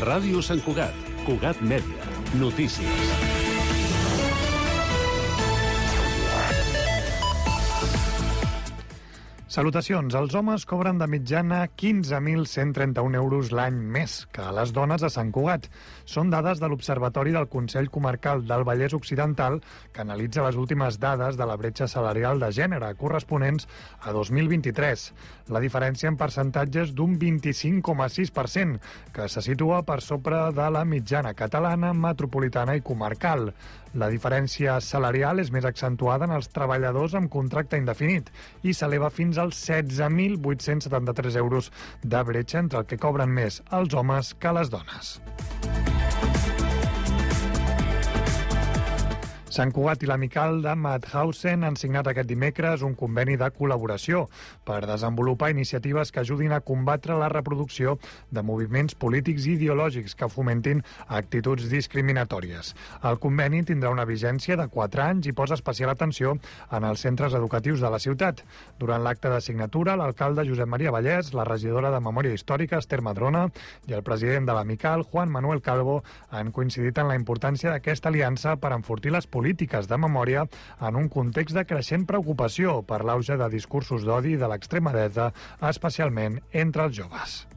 Ràdio Sant Cugat, Cugat Mèdia, notícies. Salutacions. Els homes cobren de mitjana 15.131 euros l'any més que les dones a Sant Cugat. Són dades de l'Observatori del Consell Comarcal del Vallès Occidental, que analitza les últimes dades de la bretxa salarial de gènere corresponents a 2023. La diferència en percentatges d'un 25,6%, que se situa per sobre de la mitjana catalana, metropolitana i comarcal. La diferència salarial és més accentuada en els treballadors amb contracte indefinit i s'eleva fins als 16.873 euros de bretxa entre el que cobren més els homes que les dones. Sant Cugat i l'Amical de Mauthausen han signat aquest dimecres un conveni de col·laboració per desenvolupar iniciatives que ajudin a combatre la reproducció de moviments polítics i ideològics que fomentin actituds discriminatòries. El conveni tindrà una vigència de 4 anys i posa especial atenció en els centres educatius de la ciutat. Durant l'acte de signatura, l'alcalde Josep Maria Vallès, la regidora de Memòria Històrica, Esther Madrona, i el president de l'Amical, Juan Manuel Calvo, han coincidit en la importància d'aquesta aliança per enfortir les polítiques de memòria en un context de creixent preocupació per l'auge de discursos d'odi de l'extrema dreta, especialment entre els joves.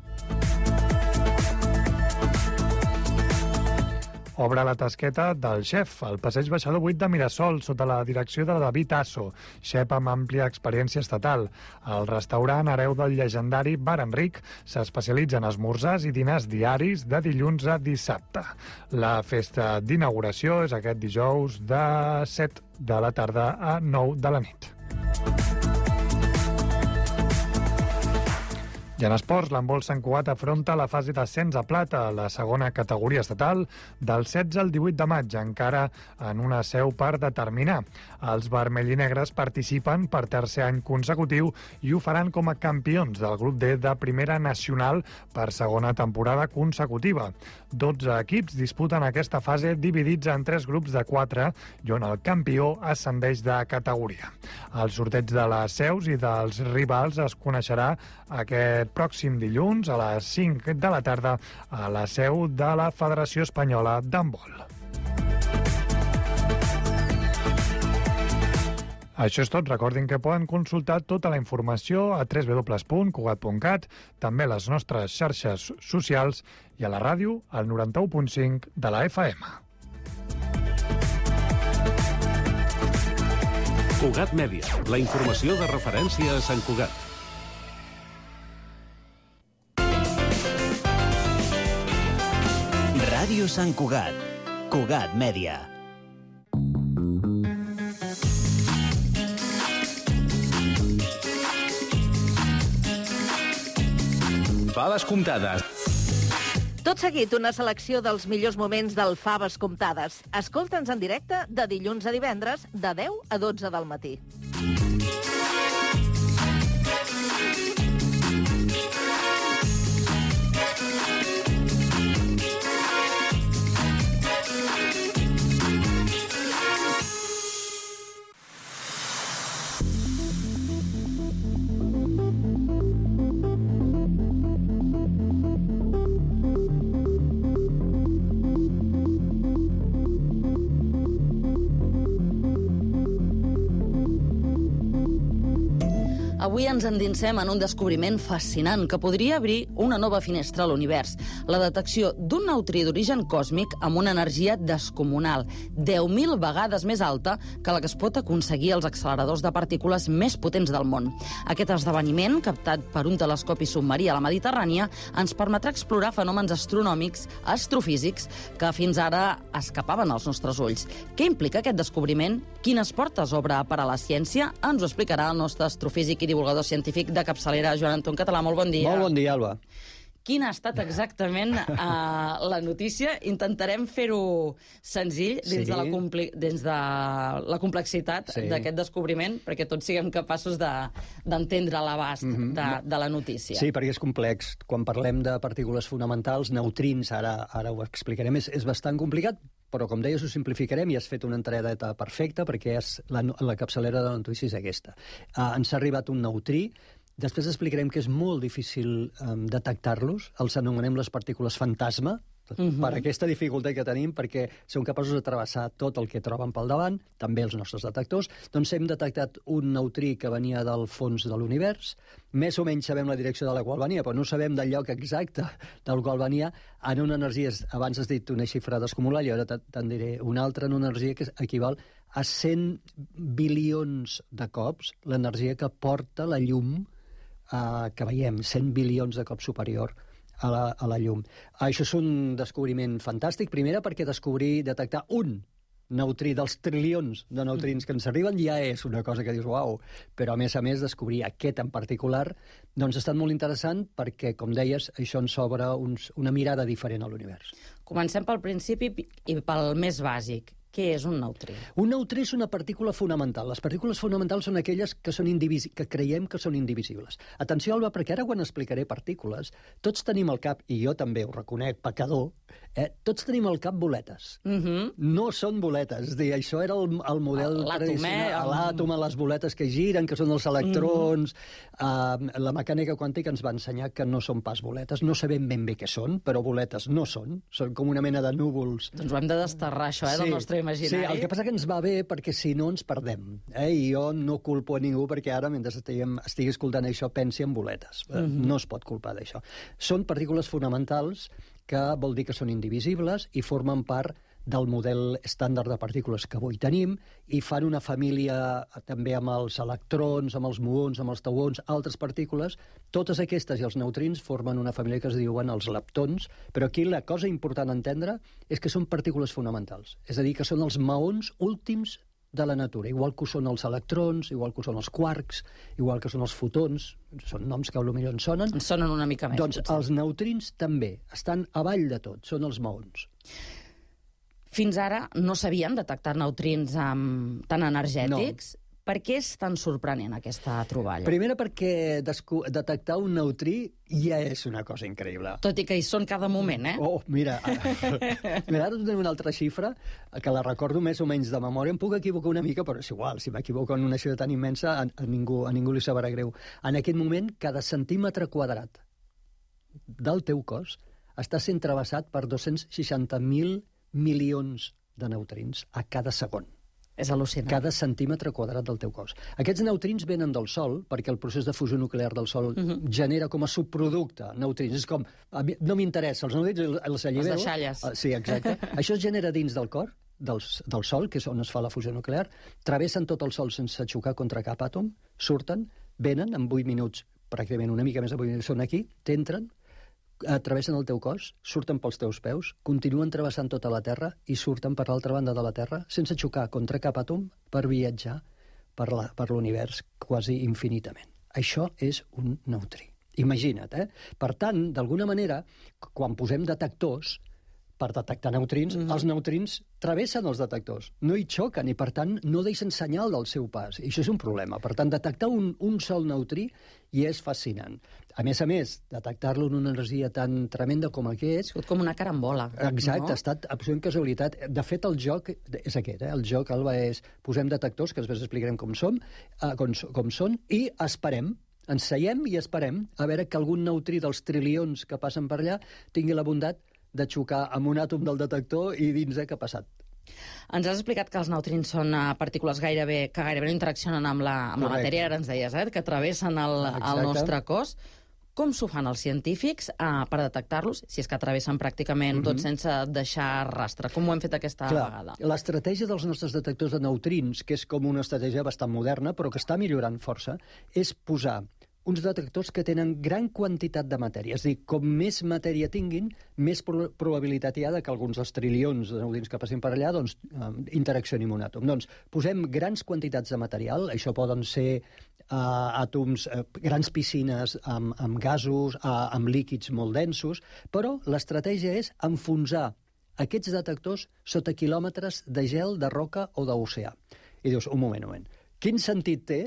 Obre la tasqueta del xef al passeig Baixador 8 de Mirasol, sota la direcció de David Asso, xef amb àmplia experiència estatal. El restaurant hereu del llegendari Bar Enric s'especialitza en esmorzars i dinars diaris de dilluns a dissabte. La festa d'inauguració és aquest dijous de 7 de la tarda a 9 de la nit. I en esports, l'handbol Sant Cugat afronta la fase d'ascens a plata, la segona categoria estatal, del 16 al 18 de maig, encara en una seu per determinar. Els vermell i negres participen per tercer any consecutiu i ho faran com a campions del grup D de Primera Nacional per segona temporada consecutiva. 12 equips disputen aquesta fase dividits en 3 grups de 4 i on el campió ascendeix de categoria. El sorteig de les seus i dels rivals es coneixerà aquest pròxim dilluns a les 5 de la tarda a la seu de la Federació Espanyola d'Handbol. Això és tot. Recordin que poden consultar tota la informació a www.cugat.cat, també a les nostres xarxes socials i a la ràdio al 91.5 de la FM. Cugat Mèdia, la informació de referència a Sant Cugat. Ràdio Sant Cugat, Cugat Mèdia. Faves comptades. Tot seguit, una selecció dels millors moments del Faves comptades. Escolta'ns en directe de dilluns a divendres, de 10 a 12 del matí. Avui ens endinsem en un descobriment fascinant que podria obrir una nova finestra a l'univers. La detecció d'un neutrí d'origen còsmic amb una energia descomunal, 10.000 vegades més alta que la que es pot aconseguir als acceleradors de partícules més potents del món. Aquest esdeveniment, captat per un telescopi submarí a la Mediterrània, ens permetrà explorar fenòmens astronòmics, astrofísics, que fins ara escapaven als nostres ulls. Què implica aquest descobriment? Quines portes obre per a la ciència? Ens ho explicarà el nostre astrofísic i divulgador científic de capçalera, Joan Anton Català. Molt bon dia. Molt bon dia, Alba. Quina ha estat exactament la notícia? Intentarem fer-ho senzill dins de la complexitat d'aquest descobriment, perquè tots siguem capaços d'entendre l'abast de la notícia. Sí, perquè és complex. Quan parlem de partícules fonamentals, neutrins, ara ho explicarem, és bastant complicat, però com deies ho simplificarem i has fet una entradeta perfecta perquè la capçalera de la notícia és aquesta. Ens ha arribat un neutrí. Després explicarem que és molt difícil detectar-los, els anomenem les partícules fantasma, per aquesta dificultat que tenim, perquè són capaços de travessar tot el que troben pel davant, també els nostres detectors. Doncs hem detectat un neutrí que venia del fons de l'univers, més o menys sabem la direcció de la qual venia, però no sabem del lloc exacte del qual venia, en una energia, abans has dit una xifra descomunal, i ara te'n diré una altra, en una energia que equival a 100 bilions de cops l'energia que porta la llum que veiem, 100 bilions de cops superior a la llum. Això és un descobriment fantàstic, primera perquè detectar un neutrí dels trilions de neutrins que ens arriben ja és una cosa que dius, uau, però a més descobrir aquest en particular doncs ha estat molt interessant perquè, com deies, això ens obre una mirada diferent a l'univers. Comencem pel principi i pel més bàsic. Què és un neutrí? Un neutrí és una partícula fonamental. Les partícules fonamentals són aquelles que creiem que són indivisibles. Atenció, Alba, perquè ara quan explicaré partícules, tots tenim al cap, i jo també ho reconec, pecador, tots tenim al cap boletes. No són boletes. És a dir, això era el model tradicional. L'àtom, les boletes que giren, que són els electrons. La mecànica quàntica ens va ensenyar que no són pas boletes. No sabem ben bé què són, però boletes no són. Són com una mena de núvols. Doncs ho hem de desterrar, això, del nostre imaginari. Sí, el que passa que ens va bé perquè si no ens perdem. I jo no culpo a ningú perquè ara, mentre estigui escoltant això, pensi en boletes. No es pot culpar d'això. Són partícules fonamentals que vol dir que són indivisibles i formen part del model estàndard de partícules que avui tenim i fan una família també amb els electrons, amb els muons, amb els tauons, altres partícules. Totes aquestes i els neutrins formen una família que es diuen els leptons, però aquí la cosa important a entendre és que són partícules fonamentals, és a dir, que són els maons últims de la natura, igual que ho són els electrons, igual que ho són els quarks, igual que són els fotons, són noms que potser ens sonen. Ens sonen una mica més. Doncs els neutrins també estan avall de tot, són els maons. Fins ara no s'havien detectat neutrins tan energètics. No. Per què és tan sorprenent aquesta troballa? Primera perquè detectar un neutrí ja és una cosa increïble. Tot i que hi són cada moment, Oh, mira, ara tenim una altra xifra que la recordo més o menys de memòria. Em puc equivocar una mica, però és igual. Si m'equivoco en una xifra tan immensa, a ningú li sabrà greu. En aquest moment, cada centímetre quadrat del teu cos està sent travessat per 260.000 milions de neutrins a cada segon. És al·lucinant. Cada centímetre quadrat del teu cos. Aquests neutrins venen del Sol, perquè el procés de fusió nuclear del Sol genera com a subproducte neutrins. És com, no m'interessa, els neutrins els allibero. Les deixalles. Sí, exacte. Això es genera dins del cor, del Sol, que és on es fa la fusió nuclear, travessen tot el Sol sense xocar contra cap àtom, surten, venen en 8 minuts, pràcticament una mica més de 8 minuts, són aquí, t'entren, travessen el teu cos, surten pels teus peus, continuen travessant tota la Terra i surten per l'altra banda de la Terra sense xocar contra cap àtom per viatjar per l'univers quasi infinitament. Això és un neutrí. Imagina't, Per tant, d'alguna manera, quan posem detectors per detectar neutrins, els neutrins travessen els detectors, no hi xoquen i, per tant, no deixen senyal del seu pas. I això és un problema. Per tant, detectar un sol neutrí ja és fascinant. A més, detectar-lo en una energia tan tremenda com aquest... És com una carambola. Exacte, ha estat absolutament casualitat. De fet, el joc és aquest. El joc, Alba, és posem detectors, que després explicarem com són, i esperem. Ens seiem i esperem a veure que algun neutrí dels trilions que passen per allà tingui la bondat de xocar amb un àtom del detector i dins què ha passat. Ens has explicat que els neutrins són partícules que gairebé no interaccionen amb la matèria, ara ens deies, que travessen el nostre cos. Com s'ho fan els científics per detectar-los, si és que travessen pràcticament tot sense deixar rastre? Com ho hem fet aquesta vegada? L'estratègia dels nostres detectors de neutrins, que és com una estratègia bastant moderna, però que està millorant força, és posar uns detectors que tenen gran quantitat de matèria. És a dir, com més matèria tinguin, més probabilitat hi ha que alguns dels trilions de neutrins que passin per allà interaccionin amb un àtom. Doncs posem grans quantitats de material, això poden ser àtoms, grans piscines amb gasos, amb líquids molt densos, però l'estratègia és enfonsar aquests detectors sota quilòmetres de gel, de roca o d'oceà. I dius, un moment, quin sentit té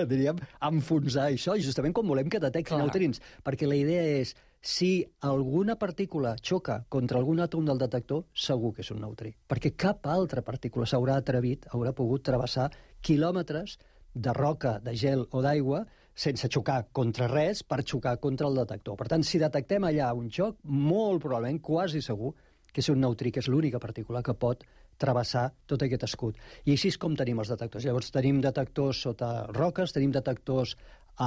diríem, enfonsar això, i justament com volem que detecti neutrins, perquè la idea és, si alguna partícula xoca contra algun àtom del detector, segur que és un neutrí, perquè cap altra partícula haurà pogut travessar quilòmetres de roca, de gel o d'aigua sense xocar contra res, per xocar contra el detector. Per tant, si detectem allà un xoc, molt probablement, quasi segur, que és un neutrí, que és l'única partícula que pot travessar tot aquest escut. I així és com tenim els detectors. Llavors tenim detectors sota roques, tenim detectors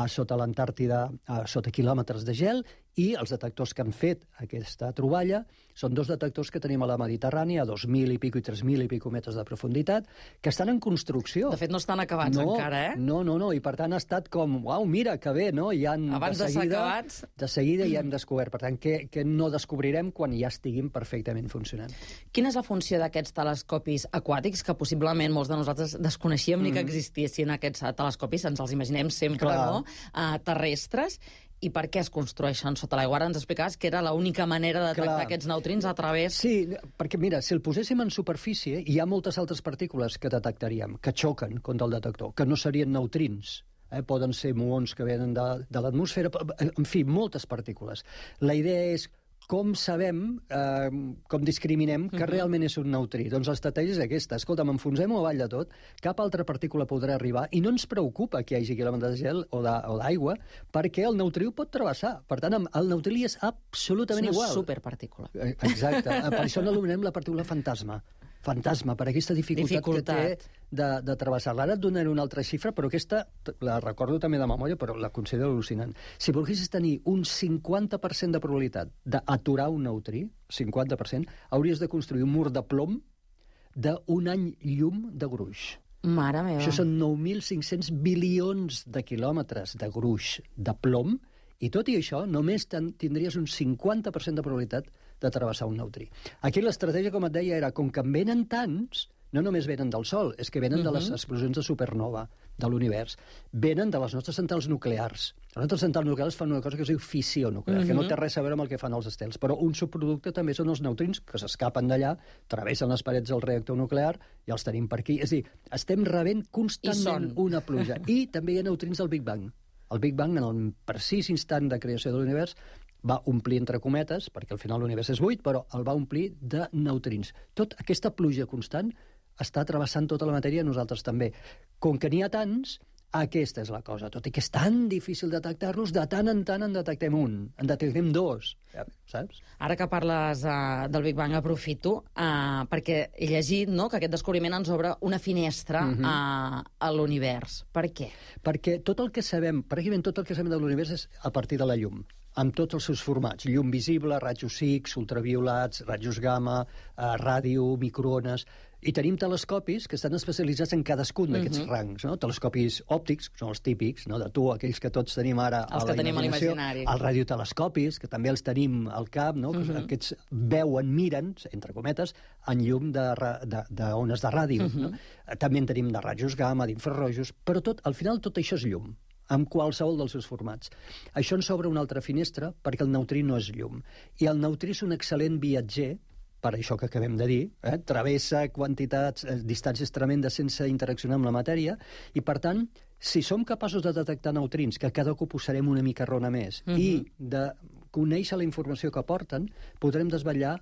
sota l'Antàrtida, sota quilòmetres de gel, i els detectors que han fet aquesta troballa són 2 detectors que tenim a la Mediterrània, a 2.000 i pico i 3.000 i pico metres de profunditat, que estan en construcció. De fet, no estan acabats encara, eh? No, i per tant ha estat com, uau, mira, que bé, no? Abans de ser acabats... De seguida ja hem descobert. Per tant, que no descobrirem quan ja estiguin perfectament funcionant. Quina és la funció d'aquests telescopis aquàtics, que possiblement molts de nosaltres desconeixíem ni que existissin aquests telescopis, ens els imaginem sempre, no? Terrestres, i per què es construeixen sota l'aigua? Ara ens explicaves que era l'única manera de detectar aquests neutrins a través... Sí, perquè mira, si el poséssim en superfície, hi ha moltes altres partícules que detectaríem, que xoquen contra el detector, que no serien neutrins. Poden ser muons que venen de l'atmosfera, en fi, moltes partícules. La idea és com sabem, com discriminem que realment és un neutrí. Doncs l'estratègia és aquesta. Escolta, m'enfonsem-ho avall de tot, cap altra partícula podrà arribar, i no ens preocupa que hi hagi quilòmetres de gel o d'aigua, perquè el neutrí ho pot travessar. Per tant, el neutrí és absolutament igual. És una superpartícula. Exacte. Per això n'anomenem la partícula fantasma. Fantasma, per aquesta dificultat que té de travessar-la. Ara et donaré una altra xifra, però aquesta la recordo també de memòria, però la considero al·lucinant. Si volguessis tenir un 50% de probabilitat d'aturar un neutrí, 50%, hauries de construir un mur de plom d'un any llum de gruix. Mare meva. Això són 9.500 bilions de quilòmetres de gruix de plom, i tot i això, només tindries un 50% de probabilitat de travessar un neutrí. Aquí l'estratègia, com et deia, era com que en venen tants, no només venen del Sol, és que venen de les explosions de supernova de l'univers, venen de les nostres centrals nuclears. Les nostres centrals nuclears fan una cosa que es diu fissió nuclear, que no té res a veure amb el que fan els estels, però un subproducte també són els neutrins que s'escapen d'allà, travessen les parets del reactor nuclear i els tenim per aquí. És a dir, estem rebent constantment una pluja. I també hi ha neutrins del Big Bang. El Big Bang, en el precís instant de creació de l'univers, va omplir entre cometes, perquè al final l'univers és buit, però el va omplir de neutrins. Tota aquesta pluja constant està travessant tota la matèria, nosaltres també. Com que n'hi ha tants, aquesta és la cosa. Tot i que és tan difícil detectar-los, de tant en tant en detectem un, en detectem dos, saps? Ara que parles del Big Bang, aprofito, perquè he llegit que aquest descobriment ens obre una finestra a l'univers. Per què? Perquè tot el que sabem, pràcticament tot el que sabem de l'univers és a partir de la llum, amb tots els seus formats. Llum visible, rajos X, ultraviolats, rajos gamma, ràdio, microones... I tenim telescopis que estan especialitzats en cadascun d'aquests rangs, no? Telescopis òptics, que són els típics, no? De tu, aquells que tots tenim ara a la imaginació. Els que tenim a l'imaginari. Els radiotelescopis, que també els tenim al cap, no? Que aquests veuen, miren, entre cometes, en llum d'ones de ràdio. No? També en tenim de rajos gamma, d'infrarrojos, però al final tot això és llum, amb qualsevol dels seus formats. Això ens obre una altra finestra, perquè el neutrí no és llum. I el neutrí és un excel·lent viatger, per això que acabem de dir, travessa quantitats, distàncies tremendes sense interaccionar amb la matèria, i per tant, si som capaços de detectar neutrins, que cada cop ho serem una mica rona més, i de conèixer la informació que porten, podrem desvetllar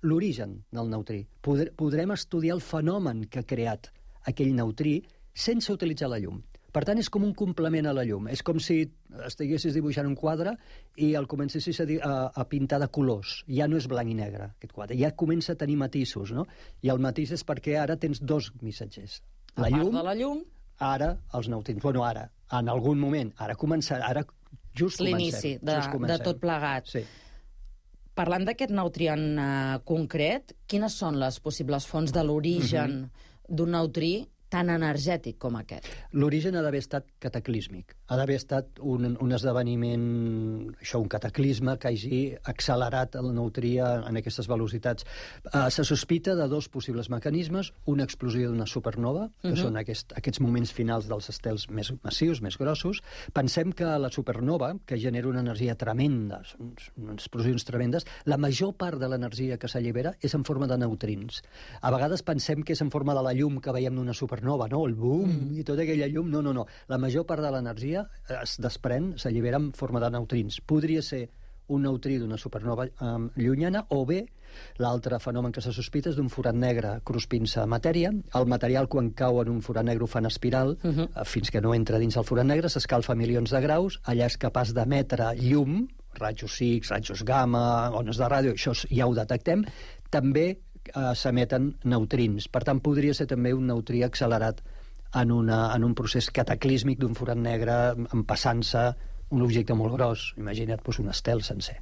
l'origen del neutrí. Podrem estudiar el fenomen que ha creat aquell neutrí sense utilitzar la llum. Per tant, és com un complement a la llum. És com si estiguessis dibuixant un quadre i el comencessis a pintar de colors. Ja no és blanc i negre, aquest quadre. Ja comença a tenir matisos, no? I el matís és perquè ara tens dos missatgers. A part de la llum... Ara, els neutrins. Bueno, ara, en algun moment. Ara just comencem. L'inici de tot plegat. Sí. Parlant d'aquest neutrí en concret, quines són les possibles fonts de l'origen d'un neutrí tan energètic com aquest? L'origen ha d'haver estat cataclísmic. Ha d'haver estat un esdeveniment, un cataclisme que hagi accelerat el neutrí en aquestes velocitats. Se sospita de dos possibles mecanismes, una explosió d'una supernova, que són aquests moments finals dels estels més massius, més grossos. Pensem que la supernova, que genera una energia tremenda, unes explosions tremendes, la major part de l'energia que s'allibera és en forma de neutrins. A vegades pensem que és en forma de la llum que veiem d'una supernova, el boom i tota aquella llum. No. La major part de l'energia es desprèn, s'allibera en forma de neutrins. Podria ser un neutrí d'una supernova llunyana, o bé l'altre fenomen que se sospita és d'un forat negre cruspint-se matèria. El material, quan cau en un forat negre, ho fa en espiral, fins que no entra dins el forat negre, s'escalfa a milions de graus, allà és capaç d'emetre llum, rajos X, rajos gamma, ones de ràdio, això ja ho detectem. També s'emeten neutrins. Per tant, podria ser també un neutrí accelerat en un procés cataclísmic d'un forat negre empassant-se un objecte molt gros. Imagina't un estel sencer.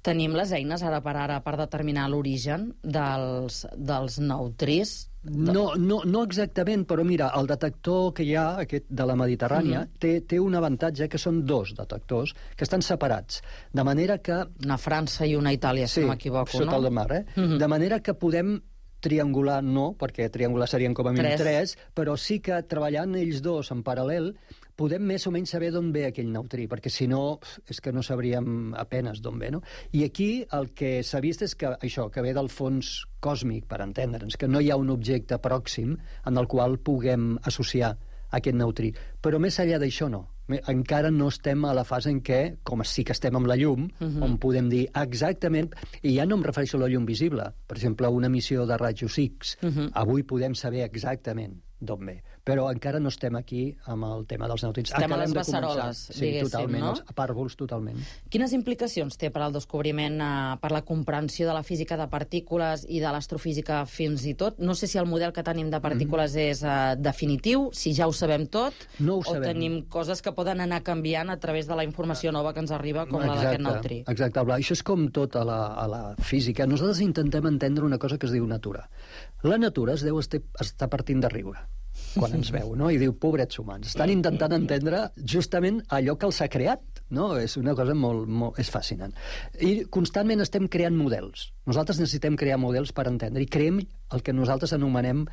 Tenim les eines ara per determinar l'origen dels neutrins? No exactament, però mira, el detector que hi ha, aquest de la Mediterrània, té un avantatge, que són dos detectors que estan separats, de manera que... Una França i una Itàlia, si no m'equivoco, no? Sí, sota el mar, De manera que podem triangular, no, perquè triangular serien com a mínim 3, però sí que treballant ells dos en paral·lel podem més o menys saber d'on ve aquell neutrí, perquè si no, és que no sabríem apenes d'on ve, no? I aquí el que s'ha vist és que això, que ve del fons còsmic, per entendre'ns, que no hi ha un objecte pròxim en el qual puguem associar aquest neutrí. Però més enllà d'això no. Encara no estem a la fase en què, com sí que estem amb la llum, on podem dir exactament, i ja no em refereixo a la llum visible, per exemple, una emissió de rajos X, avui podem saber exactament d'on ve. Però encara no estem aquí amb el tema dels neutrins. Estem a les beceroles, diguéssim, totalment, no? Els pàrvuls, totalment. Quines implicacions té per al descobriment, per la comprensió de la física de partícules i de l'astrofísica fins i tot? No sé si el model que tenim de partícules és definitiu, si ja ho sabem tot, no ho sabem. O tenim coses que poden anar canviant a través de la informació nova que ens arriba, com la d'aquest neutrí. Exacte, Bla. Això és com tot a la física. Nosaltres intentem entendre una cosa que es diu natura. La natura es deu estar partint de riure quan ens veu, no? I diu, pobrets humans, estan intentant entendre justament allò que els ha creat, no? És una cosa molt és fascinant. I constantment estem creant models. Nosaltres necessitem crear models per entendre, i creem el que nosaltres anomenem,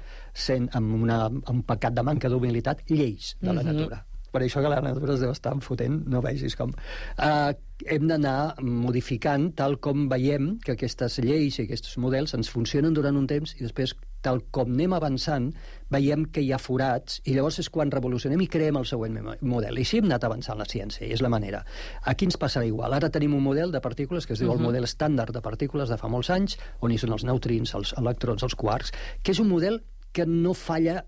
amb un pecat de manca d'humilitat, lleis de la natura. Per això que la natura es deu estar enfotent, no vegis com. Hem d'anar modificant tal com veiem que aquestes lleis i aquests models ens funcionen durant un temps, i després, tal com anem avançant, veiem que hi ha forats, i llavors és quan revolucionem i creem el següent model. I així hem anat avançant la ciència, i és la manera. Aquí ens passarà igual. Ara tenim un model de partícules que es diu el model estàndard de partícules de fa molts anys, on hi són els neutrins, els electrons, els quarks, que és un model que no falla,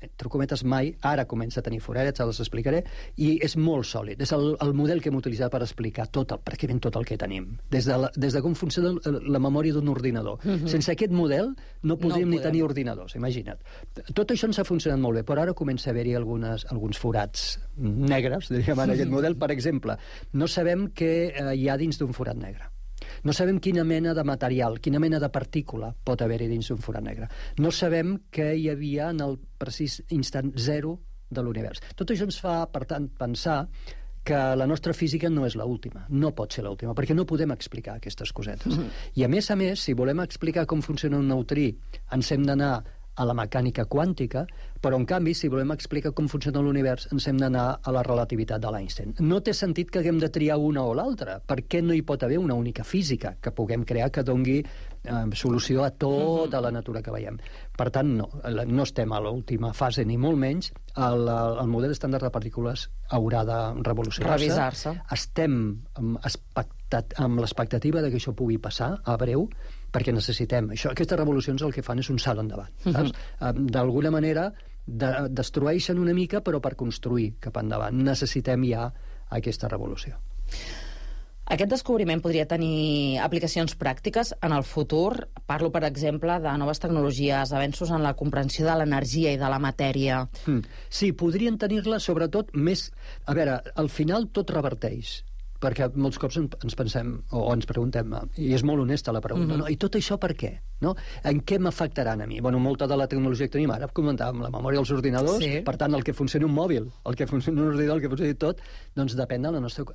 entre cometes, mai. Ara comença a tenir foradets, ara els explicaré, i és molt sòlid. És el model que hem utilitzat per explicar pràcticament tot el que tenim, des de com funciona la memòria d'un ordinador. Sense aquest model no podríem ni tenir ordinadors, imagina't. Tot això ens ha funcionat molt bé, però ara comença a haver-hi alguns forats negres, diríem, en aquest model. Per exemple, no sabem què hi ha dins d'un forat negre. No sabem quina mena de material, quina mena de partícula pot haver-hi dins d'un forat negre. No sabem què hi havia en el precís instant zero de l'univers. Tot això ens fa, per tant, pensar que la nostra física no és l'última, no pot ser l'última, perquè no podem explicar aquestes cosetes. I a més, si volem explicar com funciona un neutrí, ens hem d'anar a la mecànica quàntica, però en canvi, si volem explicar com funciona l'univers, ens hem d'anar a la relativitat de l'Einstein. No té sentit que haguem de triar una o l'altra. Per què no hi pot haver una única física que puguem crear que dongui solució a tota la natura que veiem? Per tant, no estem a l'última fase, ni molt menys. El model estàndard de partícules haurà de revolucionar-se. Estem amb l'expectativa de que això pugui passar a breu, perquè necessitem això. Aquestes revolucions el que fan és un salt endavant. D'alguna manera destrueixen una mica, però per construir cap endavant. Necessitem ja aquesta revolució. Aquest descobriment podria tenir aplicacions pràctiques en el futur? Parlo, per exemple, de noves tecnologies, avenços en la comprensió de l'energia i de la matèria. Sí, podrien tenir-la, sobretot, més... A veure, al final tot reverteix, perquè molts cops ens pensem o ens preguntem, i és molt honesta la pregunta, no? I tot això per què? No? En què m'afectaran a mi? Bueno, molta de la tecnologia que tenim ara, comentàvem la memòria dels ordinadors, per tant, el que funcioni un mòbil, el que funcioni un ordinador, el que funcioni tot, doncs depèn de la nostra...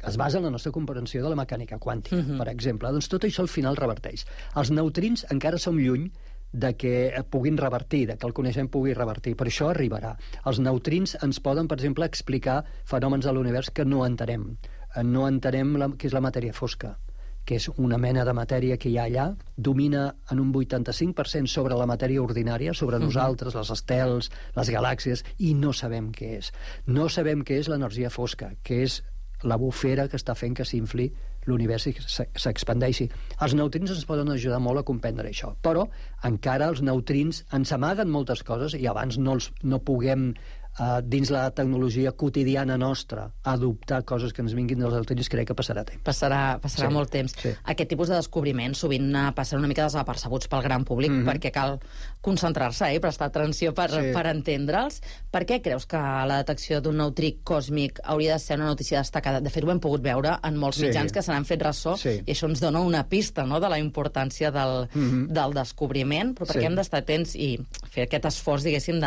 es basa en la nostra comprensió de la mecànica quàntica, per exemple. Doncs tot això al final reverteix. Els neutrins encara som lluny de que puguin revertir, de que el coneixement pugui revertir. Per això arribarà. Els neutrins ens poden, per exemple, explicar fenòmens de l'univers que no entenem. No entenem què és la matèria fosca, que és una mena de matèria que hi ha allà, domina en un 85% sobre la matèria ordinària, sobre nosaltres, les estels, les galàxies, i no sabem què és. No sabem què és l'energia fosca, que és la bufera que està fent que s'infli l'univers s'expandeixi. Els neutrins ens poden ajudar molt a comprendre això, però encara els neutrins ens amaguen moltes coses i abans no puguem dins la tecnologia quotidiana nostra adoptar coses que ens vinguin dels neutrins, crec que passarà temps. Passarà molt temps. Sí. Aquest tipus de descobriments sovint passen una mica desapercebuts pel gran públic perquè cal concentrar-se i prestar atenció per entendre'ls. Per què creus que la detecció d'un neutrí còsmic hauria de ser una notícia destacada? De fet, ho hem pogut veure en molts mitjans que se n'han fet ressò i això ens dona una pista, no?, de la importància del descobriment, però per què hem d'estar atents i fer aquest esforç, diguéssim,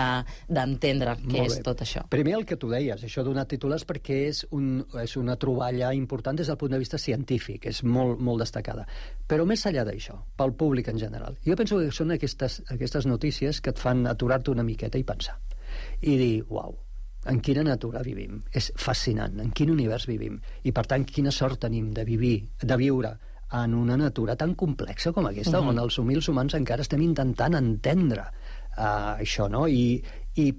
d'entendre què és tot això? Primer, el que tu deies, això donar titulars perquè és una troballa important des del punt de vista científic, és molt, molt destacada. Però més enllà d'això, pel públic en general, jo penso que són aquestes notícies que et fan aturar-te una miqueta i pensar. I dir, uau, en quina natura vivim? És fascinant, en quin univers vivim? I, per tant, quina sort tenim de viure en una natura tan complexa com aquesta, on els humils humans encara estem intentant entendre això, no? I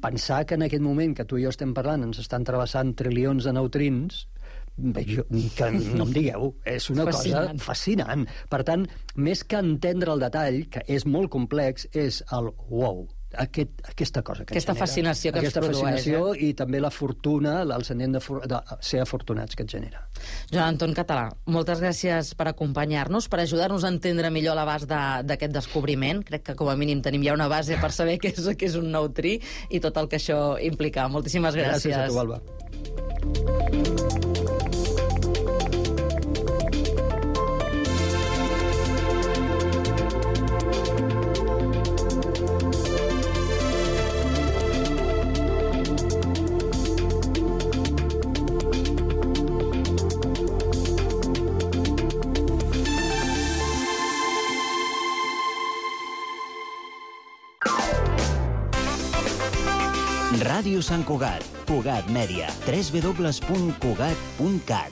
pensar que en aquest moment que tu i jo estem parlant ens estan travessant trilions de neutrins, que no em digueu, és una cosa fascinant. Per tant, més que entendre el detall, que és molt complex, és el wow, aquesta cosa que aquesta fascinació que ens produeix. Aquesta fascinació i també la fortuna, el sentiment de ser afortunats que et genera. Joan Anton Català, moltes gràcies per acompanyar-nos, per ajudar-nos a entendre millor l'abast d'aquest descobriment. Crec que com a mínim tenim ja una base per saber què és un neutrí i tot el que això implica. Moltíssimes gràcies. Gràcies a tu, Alba. Ràdio Sant Cugat, Cugat Mèdia, www.cugat.cat.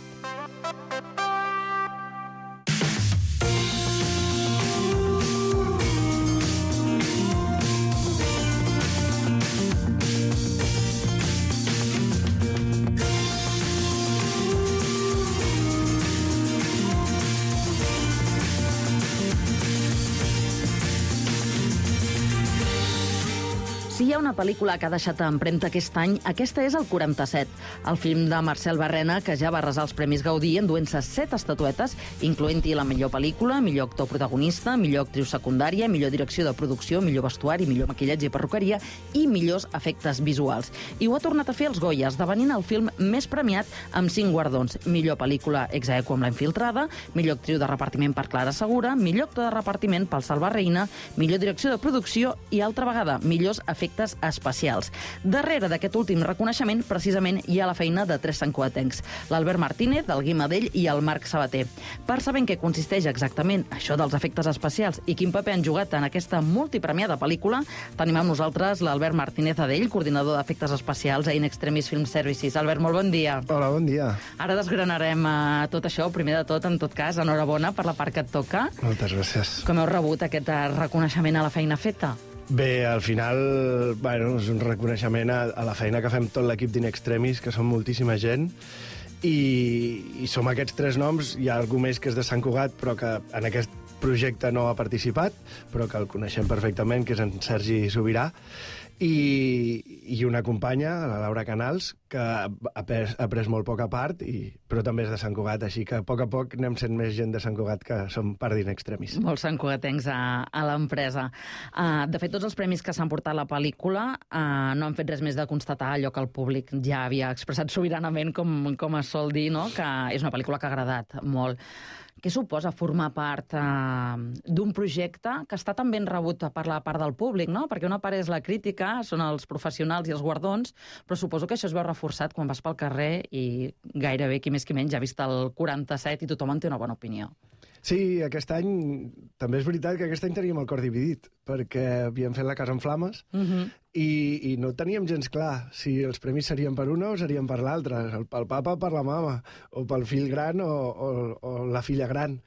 Si hi ha una pel·lícula que ha deixat empremta aquest any, aquesta és el 47, el film de Marcel Barrena, que ja va arrasar els Premis Gaudí enduent-se 7 estatuetes, incloent-hi la millor pel·lícula, millor actor protagonista, millor actriu secundària, millor direcció de producció, millor vestuari, millor maquillatge i perruqueria i millors efectes visuals. I ho ha tornat a fer els Goya, esdevenint el film més premiat amb 5 guardons. Millor pel·lícula ex aequo amb La infiltrada, millor actriu de repartiment per Clara Segura, millor actor de repartiment pel Salva Reina, millor direcció de producció i, altra vegada, millors efectes especials. Darrere d'aquest últim reconeixement, precisament, hi ha la feina de 3 santcugatencs, l'Albert Martínez, el Guim Adell i el Marc Sabater. Per saber en què consisteix exactament això dels efectes especials i quin paper han jugat en aquesta multipremiada pel·lícula, tenim amb nosaltres l'Albert Martínez Adell, coordinador d'efectes especials a In Extremis Film Services. Albert, molt bon dia. Hola, bon dia. Ara desgranarem tot això. Primer de tot, en tot cas, enhorabona per la part que et toca. Moltes gràcies. Com heu rebut aquest reconeixement a la feina feta? Bé, al final, bueno, és un reconeixement a la feina que fem tot l'equip d'In Extremis, que som moltíssima gent, i som aquests 3 noms. Hi ha algú més que és de Sant Cugat, però que en aquest projecte no ha participat, però que el coneixem perfectament, que és en Sergi Sobirà, i una companya, la Laura Canals, que ha pres molt poca part, però també és de Sant Cugat, així que a poc anem sent més gent de Sant Cugat que som part d'In Extremis. Molts santcugatencs a l'empresa. De fet, tots els premis que s'han portat a la pel·lícula no han fet res més de constatar allò que el públic ja havia expressat sobiranament, com es sol dir, no? Que és una pel·lícula que ha agradat molt. Què suposa formar part d'un projecte que està tan ben rebut per la part del públic, no? Perquè una part és la crítica, són els professionals i els guardons, però suposo que això es veu reforçat quan vas pel carrer i gairebé qui més qui menys ha vist el 47 i tothom en té una bona opinió. Sí, aquest any, també és veritat que aquest any teníem el cor dividit, perquè havíem fet La casa en flames i no teníem gens clar si els premis serien per una o serien per l'altra, pel papa o per la mama, o pel fill gran o la filla gran.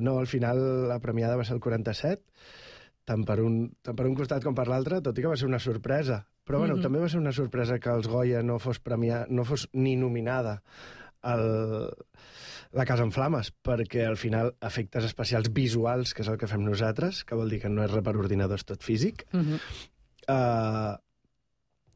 No, al final la premiada va ser el 47, tant per un costat com per l'altre, tot i que va ser una sorpresa. Però bueno, també va ser una sorpresa que els Goya no fos ni nominada la casa en flames, perquè al final efectes especials visuals, que és el que fem nosaltres, que vol dir que no és res per ordinador, és tot físic,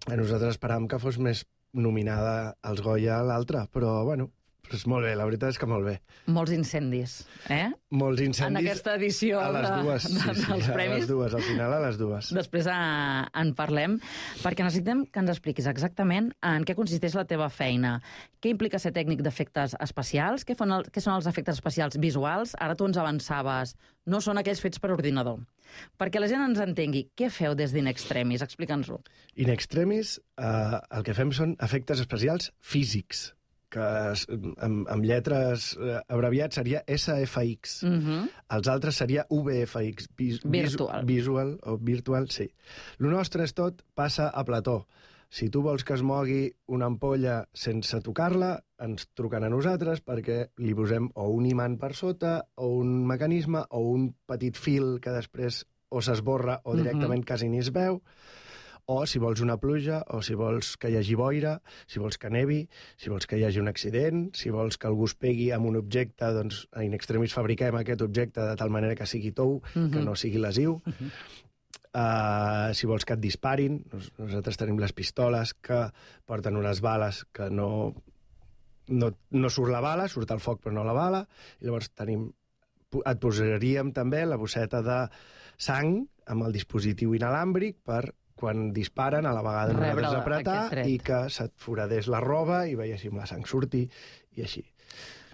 nosaltres esperàvem que fos més nominada als Goya l'altra, però bueno, és molt bé, la veritat és que molt bé. Molts incendis, eh? Molts incendis. En aquesta edició a les dues, dels premis. A les dues, al final a les dues. Després en parlem, perquè necessitem que ens expliquis exactament en què consisteix la teva feina. Què implica ser tècnic d'efectes especials? Què són els efectes especials visuals? Ara tu ens avançaves, no són aquells fets per ordinador. Perquè la gent ens entengui, què feu des d'In Extremis? Explica'ns-ho. In Extremis, el que fem són efectes especials físics, que amb lletres abreviats seria SFX. Els altres seria VFX. Visual o virtual, sí. El nostre és tot passa a plató. Si tu vols que es mogui una ampolla sense tocar-la, ens truquen a nosaltres perquè li posem o un imant per sota, o un mecanisme, o un petit fil que després o s'esborra o directament quasi ni es veu, o si vols una pluja, o si vols que hi hagi boira, si vols que nevi, si vols que hi hagi un accident, si vols que algú es pegui amb un objecte, doncs a In Extremis fabriquem aquest objecte de tal manera que sigui tou, que no sigui lesiu. Si vols que et disparin, nosaltres tenim les pistoles que porten unes bales que no surt la bala, surt el foc però no la bala, i llavors et posaríem també la bosseta de sang amb el dispositiu inalàmbric per quan disparen a la vegada nosaltres apretar i que se't foradés la roba i veiéssim la sang sortir i així.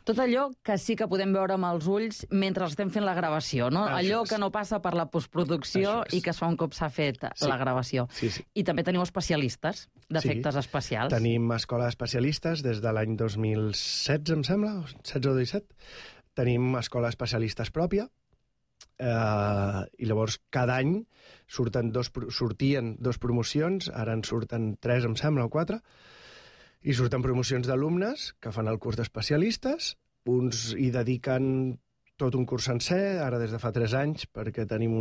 Tot allò que sí que podem veure amb els ulls mentre estem fent la gravació, no? Allò que no passa per la postproducció i que es fa un cop s'ha fet la gravació. I també teniu especialistes d'efectes especials. Tenim escola d'especialistes des de l'any 2016, em sembla, 16 o 17. Tenim escola d'especialistes pròpia, i llavors cada any sortien 2 promocions, ara en surten 3, em sembla, o 4, i surten promocions d'alumnes que fan el curs d'especialistes, uns hi dediquen tot un curs sencer, ara des de fa 3 anys, perquè tenim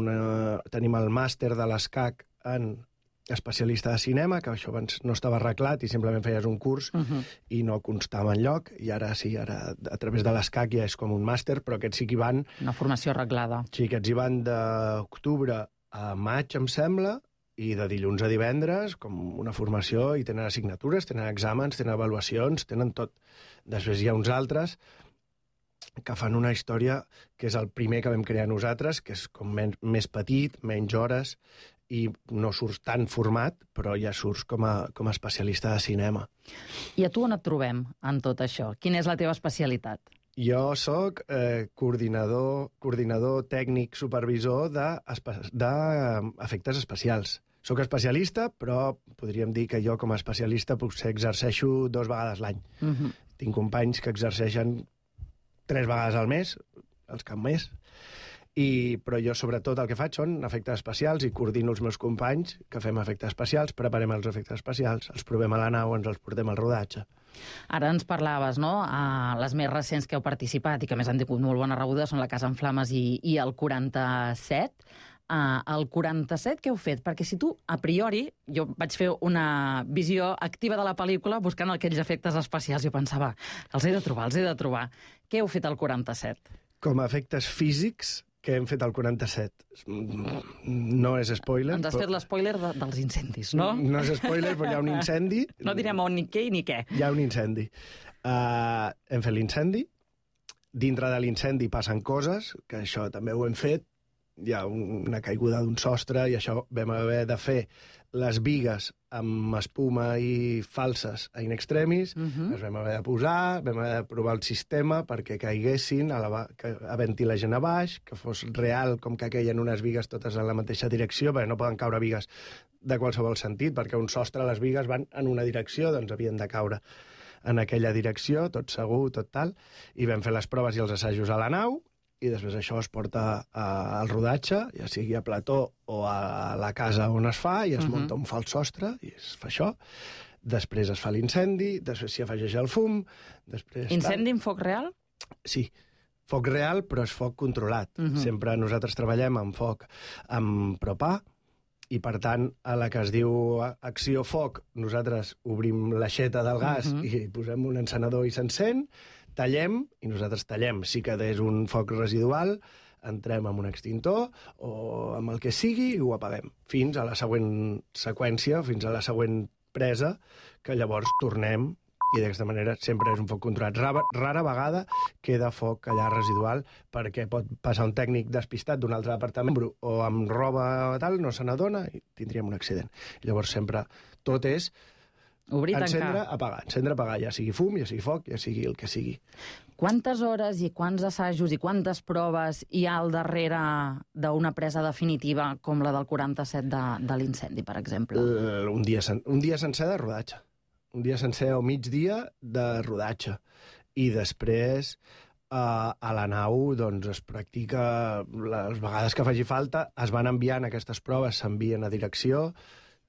el màster de l'ESCAC en especialista de cinema, que això abans no estava arreglat i simplement feies un curs i no constava enlloc, i ara sí, ara a través de l'ESCAC ja és com un màster, però aquests sí que hi van... Una formació arreglada. Sí, aquests hi van d'octubre a maig, em sembla, i de dilluns a divendres, com una formació, i tenen assignatures, tenen exàmens, tenen avaluacions, tenen tot. Després hi ha uns altres que fan una història que és el primer que vam crear nosaltres, que és com més petit, menys hores, i no surts tan format, però ja surts com a especialista de cinema. I a tu on et trobem en tot això? Quina és la teva especialitat? Jo sóc coordinador tècnic supervisor d'efectes especials. Sóc especialista, però podríem dir que jo com a especialista potser exerceixo 2 vegades l'any. Tinc companys que exerceixen 3 vegades al mes, els que més, però jo sobretot el que faig són efectes especials i coordino els meus companys que fem efectes especials, preparem els efectes especials, els provem a la nau, ens els portem al rodatge. Ara ens parlaves, no?, les més recents que heu participat i que més han tingut molt bona rebuda són la Casa en Flames i el 47. El 47 què heu fet? Perquè si tu, a priori, jo vaig fer una visió activa de la pel·lícula buscant aquells efectes especials i jo pensava, els he de trobar. Què heu fet al 47? Com a efectes físics, que hem fet al 47. No és spoiler. Ens has fet l'espoiler dels incendis, no? No és spoiler, però hi ha un incendi. No direm on ni què ni què. Hi ha un incendi. Hem fet l'incendi. Dintre de l'incendi passen coses, que això també ho hem fet. Hi ha una caiguda d'un sostre i això vam haver de fer les bigues amb espuma i falses a In Extremis, les vam haver de posar, vam haver de provar el sistema perquè caiguessin, a ventilar gent a baix, que fos real com que queien unes bigues totes en la mateixa direcció, perquè no poden caure bigues de qualsevol sentit, perquè un sostre, les bigues van en una direcció, doncs havien de caure en aquella direcció, tot segur, tot tal, i vam fer les proves i els assajos a la nau, i després això es porta al rodatge, ja sigui a plató o a la casa on es fa, i es munta un fals sostre, i es fa això. Després es fa l'incendi, després s'hi afegeix el fum... Incendi en foc real? Sí, foc real, però és foc controlat. Sempre nosaltres treballem amb foc amb propà, i per tant, a la que es diu acció foc, nosaltres obrim l'aixeta del gas i posem un encenedor i s'encén, tallem, i nosaltres tallem. Si quedés un foc residual, entrem amb un extintor o amb el que sigui i ho apaguem. Fins a la següent seqüència, fins a la següent presa, que llavors tornem i d'aquesta manera sempre és un foc controlat. Rara vegada queda foc allà residual perquè pot passar un tècnic despistat d'un altre departament o amb roba tal, no se n'adona i tindríem un accident. Llavors sempre tot és obrir, encendre, apagar, ja sigui fum, ja sigui foc, ja sigui el que sigui. Quantes hores i quants assajos i quantes proves hi ha al darrere d'una presa definitiva com la del 47 de l'incendi, per exemple? Un dia sencer de rodatge. Un dia sencer o migdia de rodatge. I després a la nau doncs, es practica les vegades que faci falta, es van enviant aquestes proves, s'envien a direcció,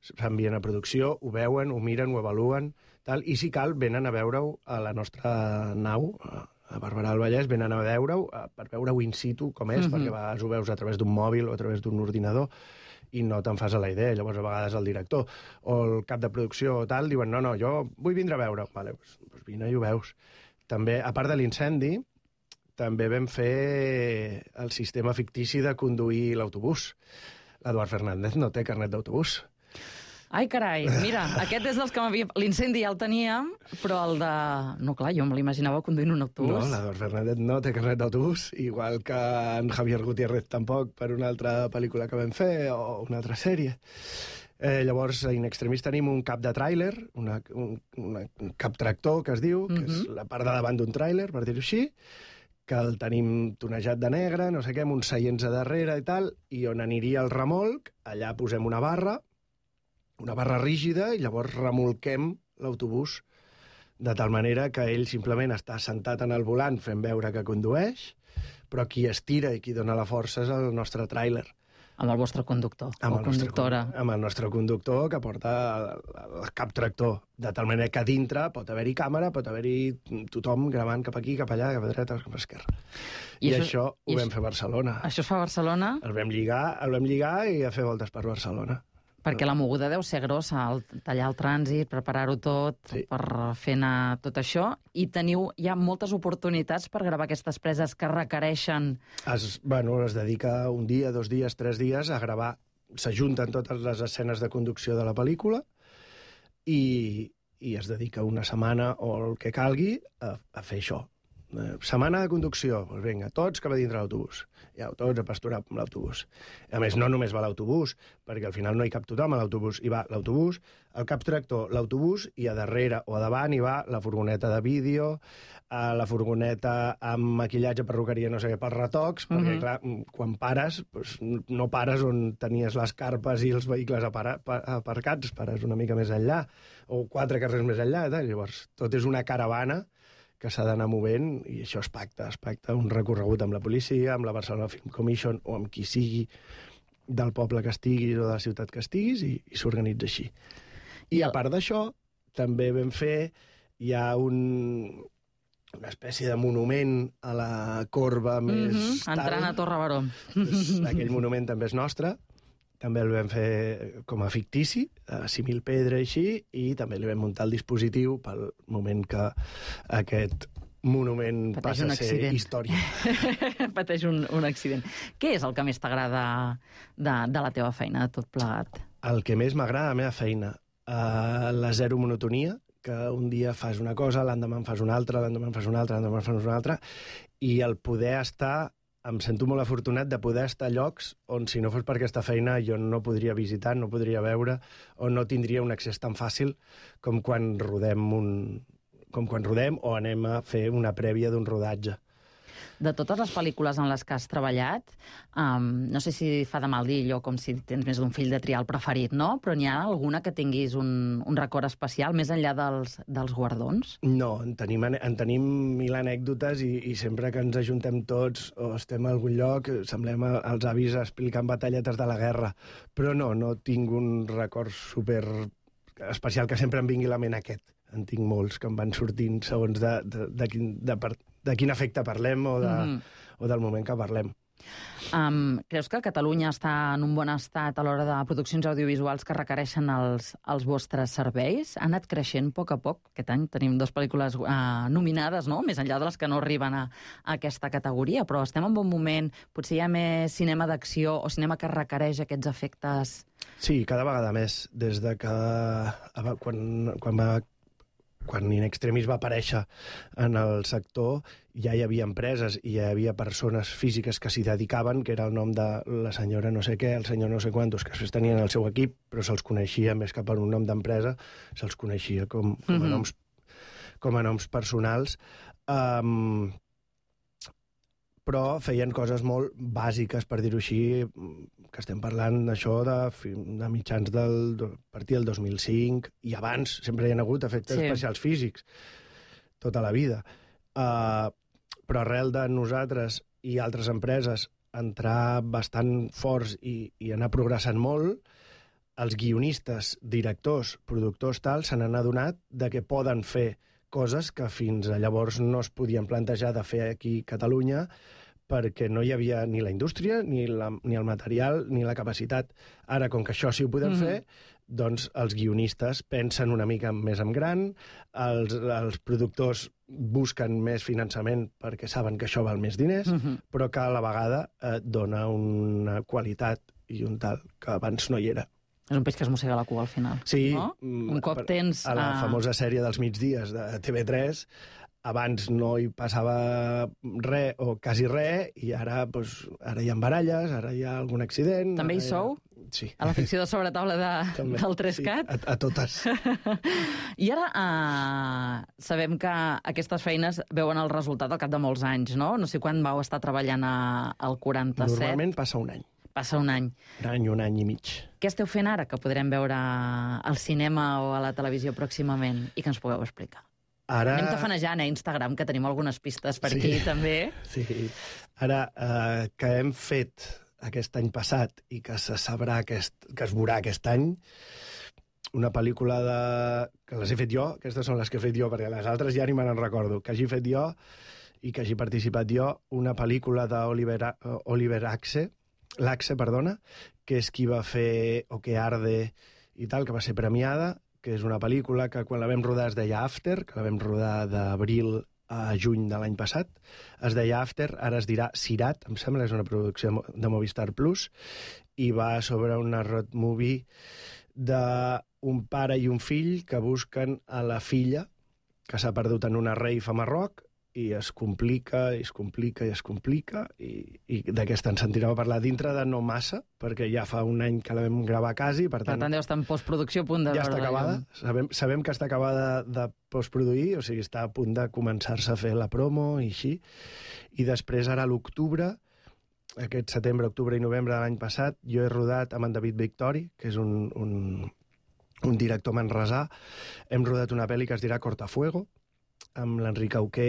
s'envien a producció, ho veuen, ho miren, ho avaluen, tal, i si cal venen a veure-ho a la nostra nau, a Barberà del Vallès, venen a veure-ho per veure-ho in situ com és, perquè a vegades ho veus a través d'un mòbil o a través d'un ordinador, i no te'n fas a la idea. Llavors, a vegades el director o el cap de producció o tal diuen no, jo vull vindre a veure. Vale, doncs vine i ho veus. També, a part de l'incendi, també vam fer el sistema fictici de conduir l'autobús. L'Eduard Fernández no té carnet d'autobús. Ai, carai, mira, aquest és dels que m'havia... L'incendi ja el teníem, però el de... No, clar, jo me l'imaginava conduint un autobús. No, l'Eduard Fernández no té carnet d'autobús, igual que en Javier Gutiérrez tampoc, per una altra pel·lícula que vam fer, o una altra sèrie. Llavors, a In Extremis tenim un cap de tràiler, un cap tractor, que es diu, que és la part de davant d'un tràiler, per dir-ho així, que el tenim tonejat de negre, no sé què, amb uns seients a darrere i tal, i on aniria el remolc, allà posem una barra rígida, i llavors remolquem l'autobús de tal manera que ell simplement està sentat en el volant fent veure que condueix, però qui estira i qui dona la força és el nostre tràiler. Amb el vostre conductor o conductora. Amb el nostre conductor que porta el cap tractor, de tal manera que a dintre pot haver-hi càmera, pot haver-hi tothom gravant cap aquí, cap allà, cap a dreta, cap a esquerra. I això ho vam fer a Barcelona. Això es fa a Barcelona? El vam lligar i a fer voltes per Barcelona. Perquè la moguda deu ser grossa, tallar el trànsit, preparar-ho tot, sí, per fer anar tot això, i hi ha moltes oportunitats per gravar aquestes preses que requereixen... Es dedica un dia, 2 dies, 3 dies a gravar. S'ajunten totes les escenes de conducció de la pel·lícula i es dedica una setmana o el que calgui a fer això. Setmana de conducció, doncs vinga, tots cap a dintre l'autobús. Ja, tots a pasturar amb l'autobús. A més, no només va l'autobús, perquè al final no hi cap tothom a l'autobús. Hi va l'autobús, el cap tractor, l'autobús, i a darrere o a davant hi va la furgoneta de vídeo, la furgoneta amb maquillatge, perruqueria, no sé què, pels retocs, perquè, clar, quan pares, doncs, no pares on tenies les carpes i els vehicles aparcats, pares una mica més enllà, o 4 carrers més enllà, llavors tot és una caravana que s'ha d'anar movent, i això es pacta un recorregut amb la policia, amb la Barcelona Film Commission, o amb qui sigui del poble que estiguis o de la ciutat que estiguis, i s'organitza així. I a part d'això, també vam fer una espècie de monument a la corba més tal. Entrant a Torre Baró. Aquell monument també és nostre. També el vam fer com a fictici, a 6.000 pedra i així, i també li vam muntar el dispositiu pel moment que aquest monument passa a ser història. Pateix un accident. Què és el que més t'agrada de la teva feina, de tot plegat? El que més m'agrada de la meva feina, la zero monotonia, que un dia fas una cosa, l'endemà en fas una altra, l'endemà en fas una altra, l'endemà en fas una altra, i el poder estar... Em sento molt afortunat de poder estar a llocs on, si no fos per aquesta feina, jo no podria visitar, no podria veure, o no tindria un accés tan fàcil com quan rodem o anem a fer una prèvia d'un rodatge. De totes les pel·lícules en les que has treballat, no sé si fa de mal dir allò com si tens més d'un fill de triar el preferit, no? Però n'hi ha alguna que tinguis un record especial, més enllà dels guardons? No, en tenim 1.000 anècdotes i sempre que ens ajuntem tots o estem a algun lloc, semblem els avis explicant batalletes de la guerra. Però no tinc un record super especial que sempre em vingui a la ment aquest. En tinc molts que em van sortint segons de quin efecte parlem o del moment que parlem. Creus que Catalunya està en un bon estat a l'hora de produccions audiovisuals que requereixen els vostres serveis? Ha anat creixent a poc. Aquest any tenim 2 pel·lícules nominades, no? Més enllà de les que no arriben a aquesta categoria, però estem en bon moment. Potser hi ha més cinema d'acció o cinema que requereix aquests efectes... Sí, cada vegada més. Des de que... Quan In Extremis va aparèixer en el sector, ja hi havia empreses i ja hi havia persones físiques que s'hi dedicaven, que era el nom de la senyora no sé què, el senyor no sé quantos, que després tenien el seu equip, però se'ls coneixia més que per un nom d'empresa, se'ls coneixia com a noms personals. Però feien coses molt bàsiques, per dir-ho així, que estem parlant d'això de mitjans a partir del 2005, i abans sempre hi ha hagut efectes especials físics, tota la vida. Però arrel de nosaltres i altres empreses entrar bastant forts i anar progressant molt, els guionistes, directors, productors, tal, se n'han adonat de que poden fer coses que fins llavors no es podien plantejar de fer aquí a Catalunya, perquè no hi havia ni la indústria, ni el material, ni la capacitat. Ara, com que això sí ho podem fer, doncs els guionistes pensen una mica més en gran, els productors busquen més finançament perquè saben que això val més diners, però que a la vegada dona una qualitat i un tal que abans no hi era. És un peix que es mossega la cua al final. Sí. No? Un cop tens... A la famosa sèrie dels migdies de TV3, abans no hi passava res o quasi res, i ara hi ha baralles, ara hi ha algun accident... També hi sou? Sí. A la ficció de sobretaula del 3CAT? Sí, a totes. I ara sabem que aquestes feines veuen el resultat al cap de molts anys, no? No sé quan vau estar treballant al 47. Normalment passa un any. Passa un any. Un any i mig. Què esteu fent ara que podrem veure al cinema o a la televisió pròximament i que ens pugueu explicar? Ara... Anem tafanejant a Instagram, que tenim algunes pistes per aquí, també. Sí. Ara, que hem fet aquest any passat i que se sabrà que es veurà aquest any, una pel·lícula que les he fet jo, aquestes són les que he fet jo, perquè les altres ja ni me n'en recordo, que hagi fet jo i que hagi participat jo, una pel·lícula d'Oliver Axe, que és qui va fer O que arde i tal, que va ser premiada, que és una pel·lícula que quan la vam rodar es deia After, que la vam rodar d'abril a juny de l'any passat. Es deia After, ara es dirà Sirat, em sembla, és una producció de Movistar Plus, i va sobre una road movie d'un pare i un fill que busquen a la filla que s'ha perdut en una rave a Marroc, i es complica, i d'aquesta ens sentirem a parlar dintre de no massa, perquè ja fa un any que la vam gravar quasi, per tant deu estar en postproducció, a punt de... Ja està acabada, sabem que està acabada de postproduir, o sigui, està a punt de començar-se a fer la promo i així, i després ara a l'octubre, aquest setembre, octubre i novembre de l'any passat, jo he rodat amb en David Victori, que és un director manresà, hem rodat una pel·li que es dirà Cortafuego, amb l'Enric Auqué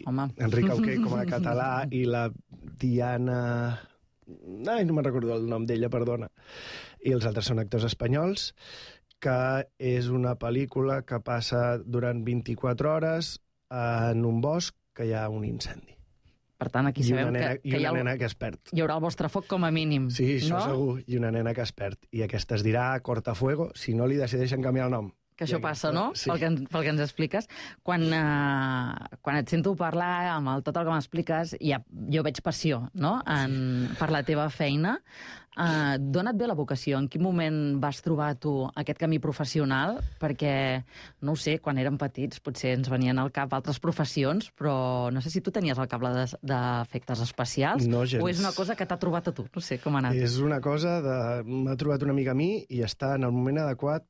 Enric Auqué com a català i la Diana... no me'n recordo el nom d'ella, perdona. I els altres són actors espanyols, que és una pel·lícula que passa durant 24 hores en un bosc que hi ha un incendi. Per tant, aquí sabem que una nena que es perd. Hi haurà el vostre foc com a mínim. Sí, això no? Segur. I una nena que es perd. I aquesta es dirà Cortafuego, si no li decideixen canviar el nom. Que això passa, no? Sí. Pel que ens expliques. Quan et sento parlar amb tot el que m'expliques, jo veig passió, no?, per la teva feina. D'on et ve la vocació? En quin moment vas trobar tu aquest camí professional? Perquè, no ho sé, quan érem petits potser ens venien al cap altres professions, però no sé si tu tenies al cap la d'efectes especials, no, gens. O és una cosa que t'ha trobat a tu? No sé com ha anat. És una cosa m'ha trobat una mica a mi i està en el moment adequat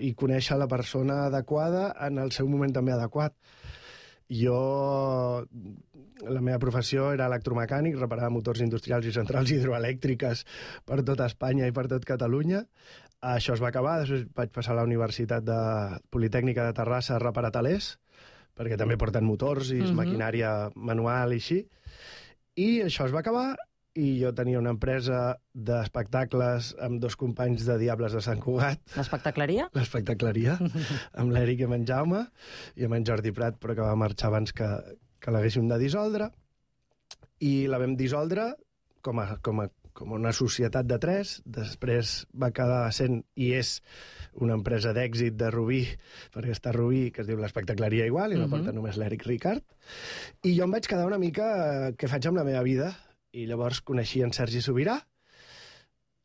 i conèixer la persona adequada en el seu moment també adequat. La meva professió era electromecànic, reparar motors industrials i centrals hidroelèctriques per tota Espanya i per tot Catalunya. Això es va acabar, després vaig passar a la Universitat Politècnica de Terrassa a reparar telers, perquè també porten motors i maquinària manual i així. I això es va acabar, i jo tenia una empresa d'espectacles amb 2 companys de Diables de Sant Cugat. L'espectacleria? L'espectacleria, amb l'Eric i amb en Jaume, i amb en Jordi Prat, però que va marxar abans que l'haguéssim de dissoldre. i la vam dissoldre com una societat de 3, després va quedar sent i és una empresa d'èxit de Rubí, perquè està Rubí, que es diu l'Espectacleria Igual, i la porta només l'Eric Ricard, i jo em vaig quedar una mica què faig amb la meva vida, i llavors coneixia en Sergi Sobirà,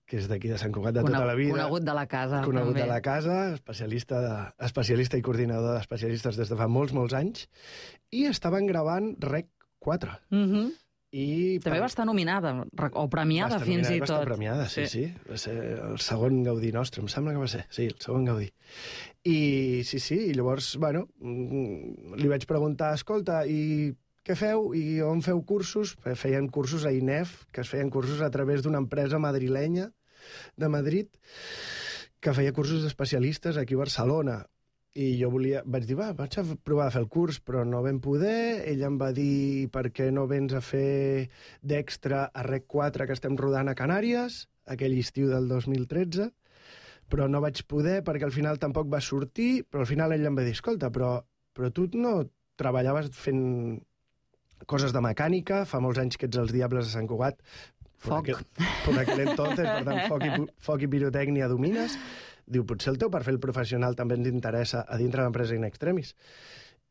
que és d'aquí de Sant Cugat de tota la vida. Conegut de la casa, Conegut també. de la casa, especialista i coordinador d'especialistes des de fa molts anys, i estaven gravant Rec 4. I també va estar nominada, o premiada fins i tot. Va estar premiada, sí. Va ser el segon Gaudí nostre, em sembla que va ser. Sí, el segon Gaudí. I i llavors, bueno, li vaig preguntar, escolta, i què feu? I on feu cursos? Feien cursos a INEF, que es feien cursos a través d'una empresa madrilenya de Madrid, que feia cursos d'especialistes aquí a Barcelona. I jo vaig dir, vaig a provar a fer el curs, però no vam poder. Ella em va dir, per què no vens a fer d'extra a Rec 4, que estem rodant a Canàries, aquell estiu del 2013, però no vaig poder perquè al final tampoc va sortir, però al final ella em va dir, escolta, però tu no treballaves fent coses de mecànica, fa molts anys que ets els Diables de Sant Cugat, Foc. Per aquell entonces, per tant, foc i pirotècnia domines. Diu, potser el teu perfil professional també ens interessa a dintre l'empresa In Extremis.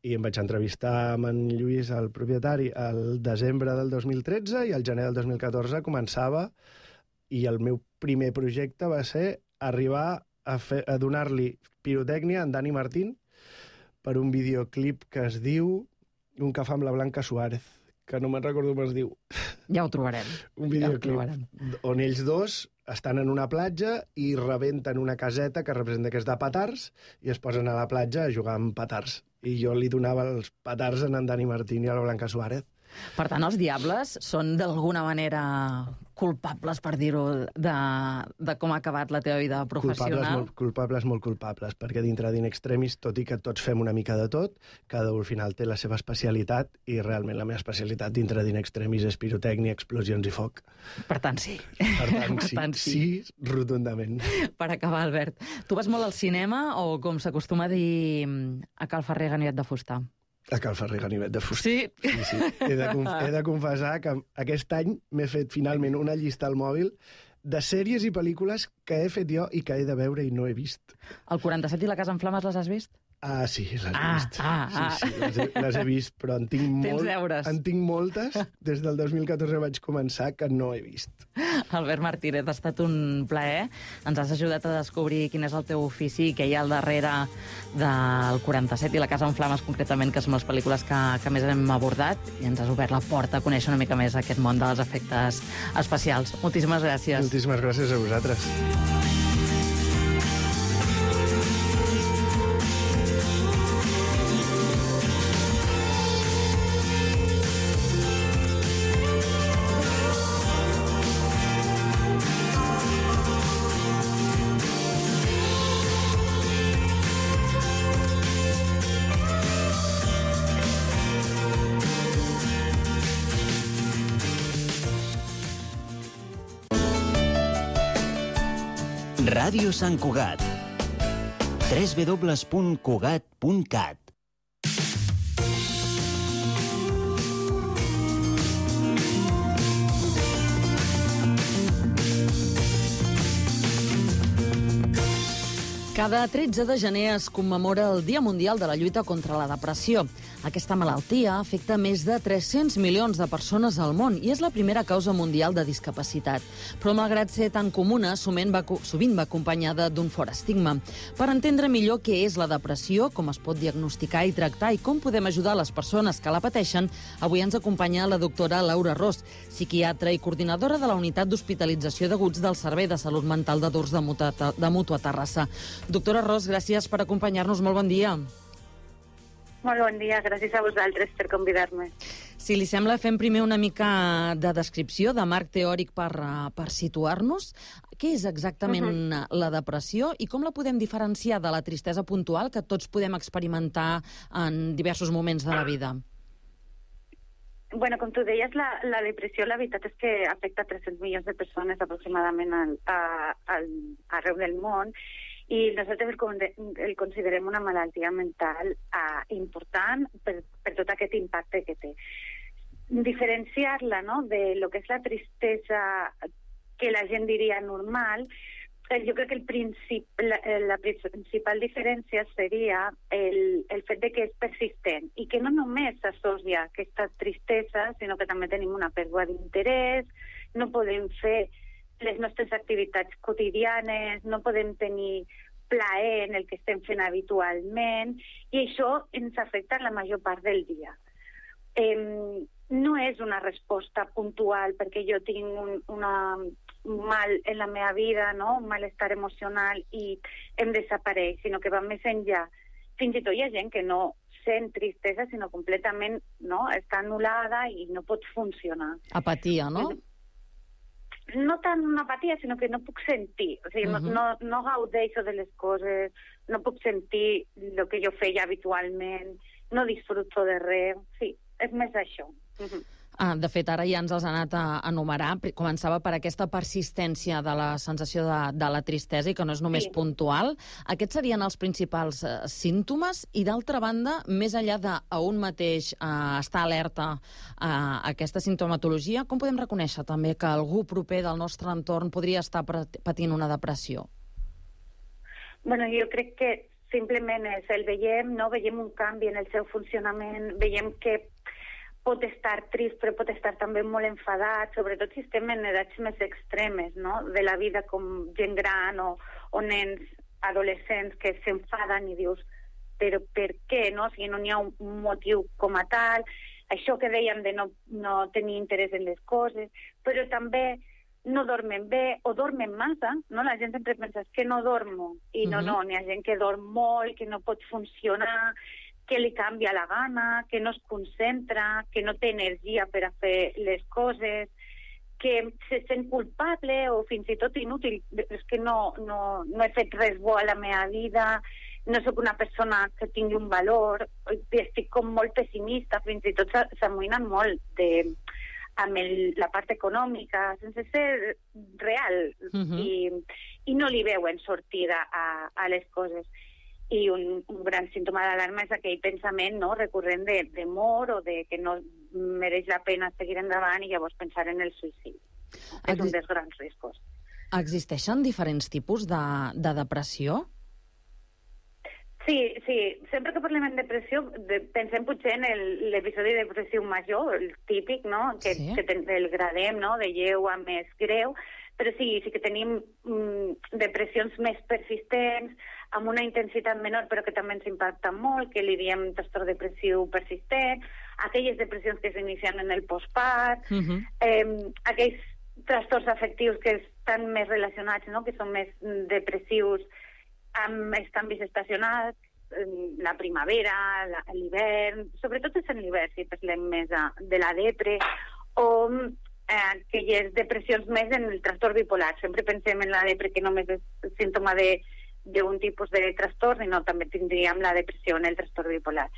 I em vaig entrevistar amb en Lluís, el propietari, al desembre del 2013 i al gener del 2014 començava, i el meu primer projecte va ser arribar a donar-li pirotècnia a en Dani Martín per un videoclip que es diu Un cafè amb la Blanca Suárez, que no me'n recordo com es diu. Ja ho trobarem. Un videoclip on ells dos estan en una platja i rebenten una caseta que representa que és de petards i es posen a la platja a jugar amb petards. I jo li donava els petards a en Dani Martín i a la Blanca Suárez. Per tant, els Diables són d'alguna manera culpables, per dir-ho, de com ha acabat la teva vida professional? Molt culpables, perquè dintre d'In Extremis, tot i que tots fem una mica de tot, cada un al final té la seva especialitat, i realment la meva especialitat dintre d'In Extremis és pirotècnia, explosions i foc. Per tant, sí. Per tant, sí, rotundament. Per acabar, Albert, tu vas molt al cinema, o com s'acostuma a dir a Cal Ferrer Ganivet de Fusta? A Cal Ferrer Ganivet de Fusta. Sí? Sí. He de confessar que aquest any m'he fet finalment una llista al mòbil de sèries i pel·lícules que he fet jo i que he de veure i no he vist. El 47 i La casa en flames les has vist? Ah, sí, les he vist. Sí, les he vist, però en tinc moltes. Des del 2014 vaig començar que no he vist. Albert Martínez, ha estat un plaer. Ens has ajudat a descobrir quin és el teu ofici, què hi ha al darrere del 47 i La casa en flames, concretament, que són les pel·lícules que més hem abordat, i ens has obert la porta a conèixer una mica més aquest món dels efectes especials. Moltíssimes gràcies. Moltíssimes gràcies a vosaltres. Ràdio Sant Cugat. www.cugat.cat. Cada 13 de gener es commemora el Dia Mundial de la Lluita contra la Depressió. Aquesta malaltia afecta més de 300 milions de persones al món i és la primera causa mundial de discapacitat. Però malgrat ser tan comuna, sovint va acompanyada d'un fort estigma. Per entendre millor què és la depressió, com es pot diagnosticar i tractar i com podem ajudar les persones que la pateixen, avui ens acompanya la doctora Laura Ros, psiquiatra i coordinadora de la Unitat d'Hospitalització d'Aguts del Servei de Salut Mental de Dors de Mútua Terrassa. Doctora Ros, gràcies per acompanyar-nos. Molt bon dia. Molt bon dia, gràcies a vosaltres per convidar-me. Si li sembla, fem primer una mica de descripció, de marc teòric per situar-nos. Què és exactament la depressió i com la podem diferenciar de la tristesa puntual que tots podem experimentar en diversos moments de la vida? Bueno, com tu deies, la depressió, la veritat és que afecta 300 milions de persones aproximadament arreu del món, i nosaltres el considerem una malaltia mental important per tot aquest impacte que té. diferenciar-la, no?, de lo que és la tristesa que la gent diria normal. Jo crec que la principal diferència seria el fet de que és persistent i que no només s'associa aquesta tristesa, sinó que també tenim una pèrdua d'interès, no podem fer les nostres activitats quotidianes, no podem tenir plaer en el que estem fent habitualment, i això ens afecta la major part del dia. No és una resposta puntual perquè jo tinc un mal en la meva vida, no?, un malestar emocional i em desapareix, sinó que va més enllà. Fins i tot hi ha gent que no sent tristesa, sinó completament, no?, està anul·lada i no pot funcionar. Apatia, no? No tant una apatia, sinó que no puc sentir. O sigui, no gaudeixo de les coses, no puc sentir el que jo feia habitualment, no disfruto de res. Sí, és més això. De fet, ara ja ens els ha anat a enumerar. Començava per aquesta persistència de la sensació de la tristesa i que no és només puntual. Aquests serien els principals símptomes i, d'altra banda, més enllà a un mateix estar alerta a aquesta simptomatologia, com podem reconèixer també que algú proper del nostre entorn podria estar patint una depressió? Bueno, jo crec que simplement el veiem un canvi en el seu funcionament, veiem que pot estar trist, però pot estar també molt enfadat, sobretot si estem en edats més extremes, no?, de la vida, com gent gran o nens adolescents que s'enfaden i dius, però per què, no? O sigui, no n'hi ha un motiu com a tal. Això que dèiem de no tenir interès en les coses, però també no dormen bé o dormen massa, no? La gent sempre pensa que no dormo, i no, n'hi ha gent que dorm molt, que no pot funcionar, que li canvia la gana, que no es concentra, que no té energia per a fer les coses, que se sent culpable o fins i tot inútil. És que no he fet res bo a la meva vida, no sóc una persona que tingui un valor, estic com molt pessimista, fins i tot s'amoïnen molt amb la part econòmica, sense ser real, i no li veuen sortida a les coses. I un gran símptoma d'alarma és aquell pensament, no?, recurrent de mort o de que no mereix la pena seguir endavant i llavors pensar en el suïcidi. És un dels grans riscos. Existeixen diferents tipus de depressió? Sí. Sempre que parlem en depressió pensem potser en l'episodi depressiu major, el típic, no?, que el gradem, no?, de lleu a més greu, però sí que tenim depressions més persistents, amb una intensitat menor però que també ens impacta molt, que li diem trastorn depressiu persistent, aquelles depressions que s'inicien en el postpart, aquells trastorns afectius que estan més relacionats, no?, que són més depressius amb els canvis estacionals, la primavera, l'hivern, sobretot és en l'hivern si parlem més de la depre, o aquelles depressions més en el trastorn bipolar. Sempre pensem en la depre que només és símptoma d'un tipus de trastorn, i no, també tindríem la depressió en el trastorn bipolar.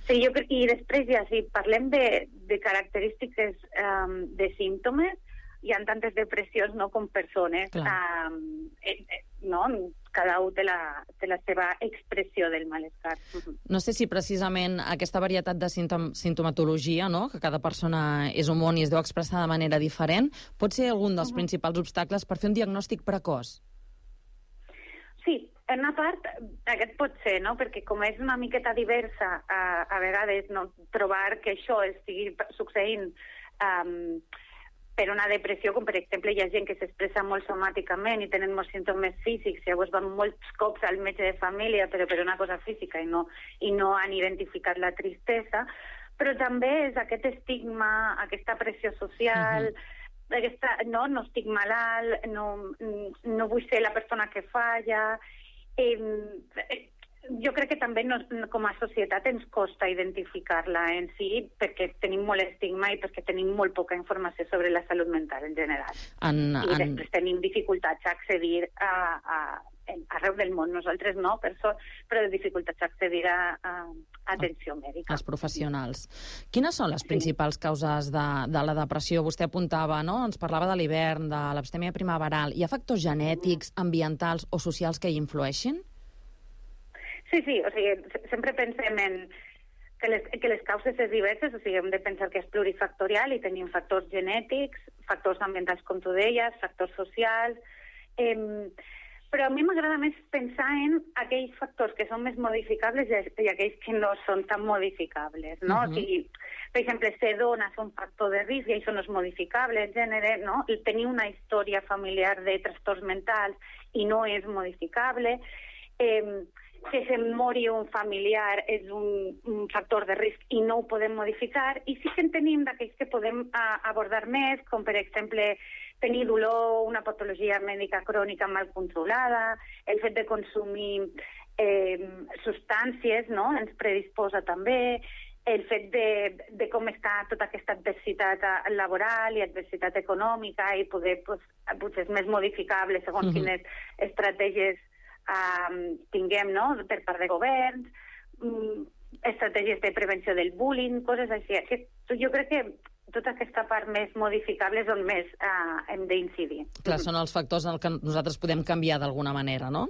Sí, i després ja, si parlem de característiques de símptomes, hi ha tantes depressions, no?, com persones. No? Cada un té la seva expressió del malestar. No sé si precisament aquesta varietat de sintomatologia, no?, que cada persona és un món i es deu expressar de manera diferent, pot ser algun dels principals obstacles per fer un diagnòstic precoç? Sí, en una part aquest pot ser, no?, perquè com és una miqueta diversa, a vegades, no?, trobar que això estigui succeint per una depressió, com per exemple hi ha gent que s'expressa molt somàticament i tenen molts símptomes físics, llavors van molts cops al metge de família però per una cosa física i no han identificat la tristesa, però també és aquest estigma, aquesta pressió social, no estic malalt, no vull ser la persona que falla. Jo crec que també com a societat ens costa identificar-la en si perquè tenim molt estigma i perquè tenim molt poca informació sobre la salut mental en general. I després tenim dificultats a accedir arreu del món, nosaltres no, però dificultats a accedir a atenció mèdica. Els professionals. Quines són les principals causes de la depressió? Vostè apuntava, no?, ens parlava de l'hivern, de l'abstèmia primaveral. Hi ha factors genètics, ambientals o socials que hi influeixin? Sí, o sigui, sempre pensem en que les causes és diverses, o sigui, hem de pensar que és plurifactorial i tenim factors genètics, factors ambientals, com tu deies, factors socials... Però a mi m'agrada més pensar en aquells factors que són més modificables i aquells que no són tan modificables, no? O sigui, per exemple, ser dona és un factor de risc i això no és modificable, el gènere, no? Tenir una història familiar de trastorns mentals i no és modificable, que se mori un familiar és un factor de risc i no ho podem modificar, i sí que en tenim d'aquells que podem abordar més, com per exemple tenir dolor, una patologia mèdica crònica mal controlada, el fet de consumir substàncies, no?, ens predisposa també, el fet de com està tota aquesta adversitat laboral i adversitat econòmica i poder, potser és més modificable segons quines estratègies tinguem, no?, per part de governs, estratègies de prevenció del bullying, coses així. Jo crec que tota aquesta part més modificable és on més hem d'incidir. Clar, són els factors en què nosaltres podem canviar d'alguna manera, no?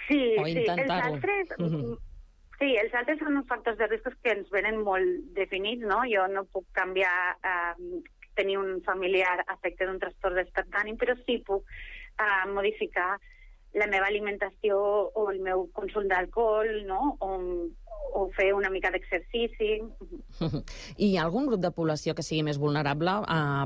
Sí, o intentar-ho. Sí, els altres són uns factors de riscos que ens venen molt definits, no? Jo no puc canviar tenir un familiar afecte d'un trastorn d'estat d'ànim, però sí puc modificar la meva alimentació o el meu consum d'alcohol, no?, o fer una mica d'exercici. I hi ha algun grup de població que sigui més vulnerable?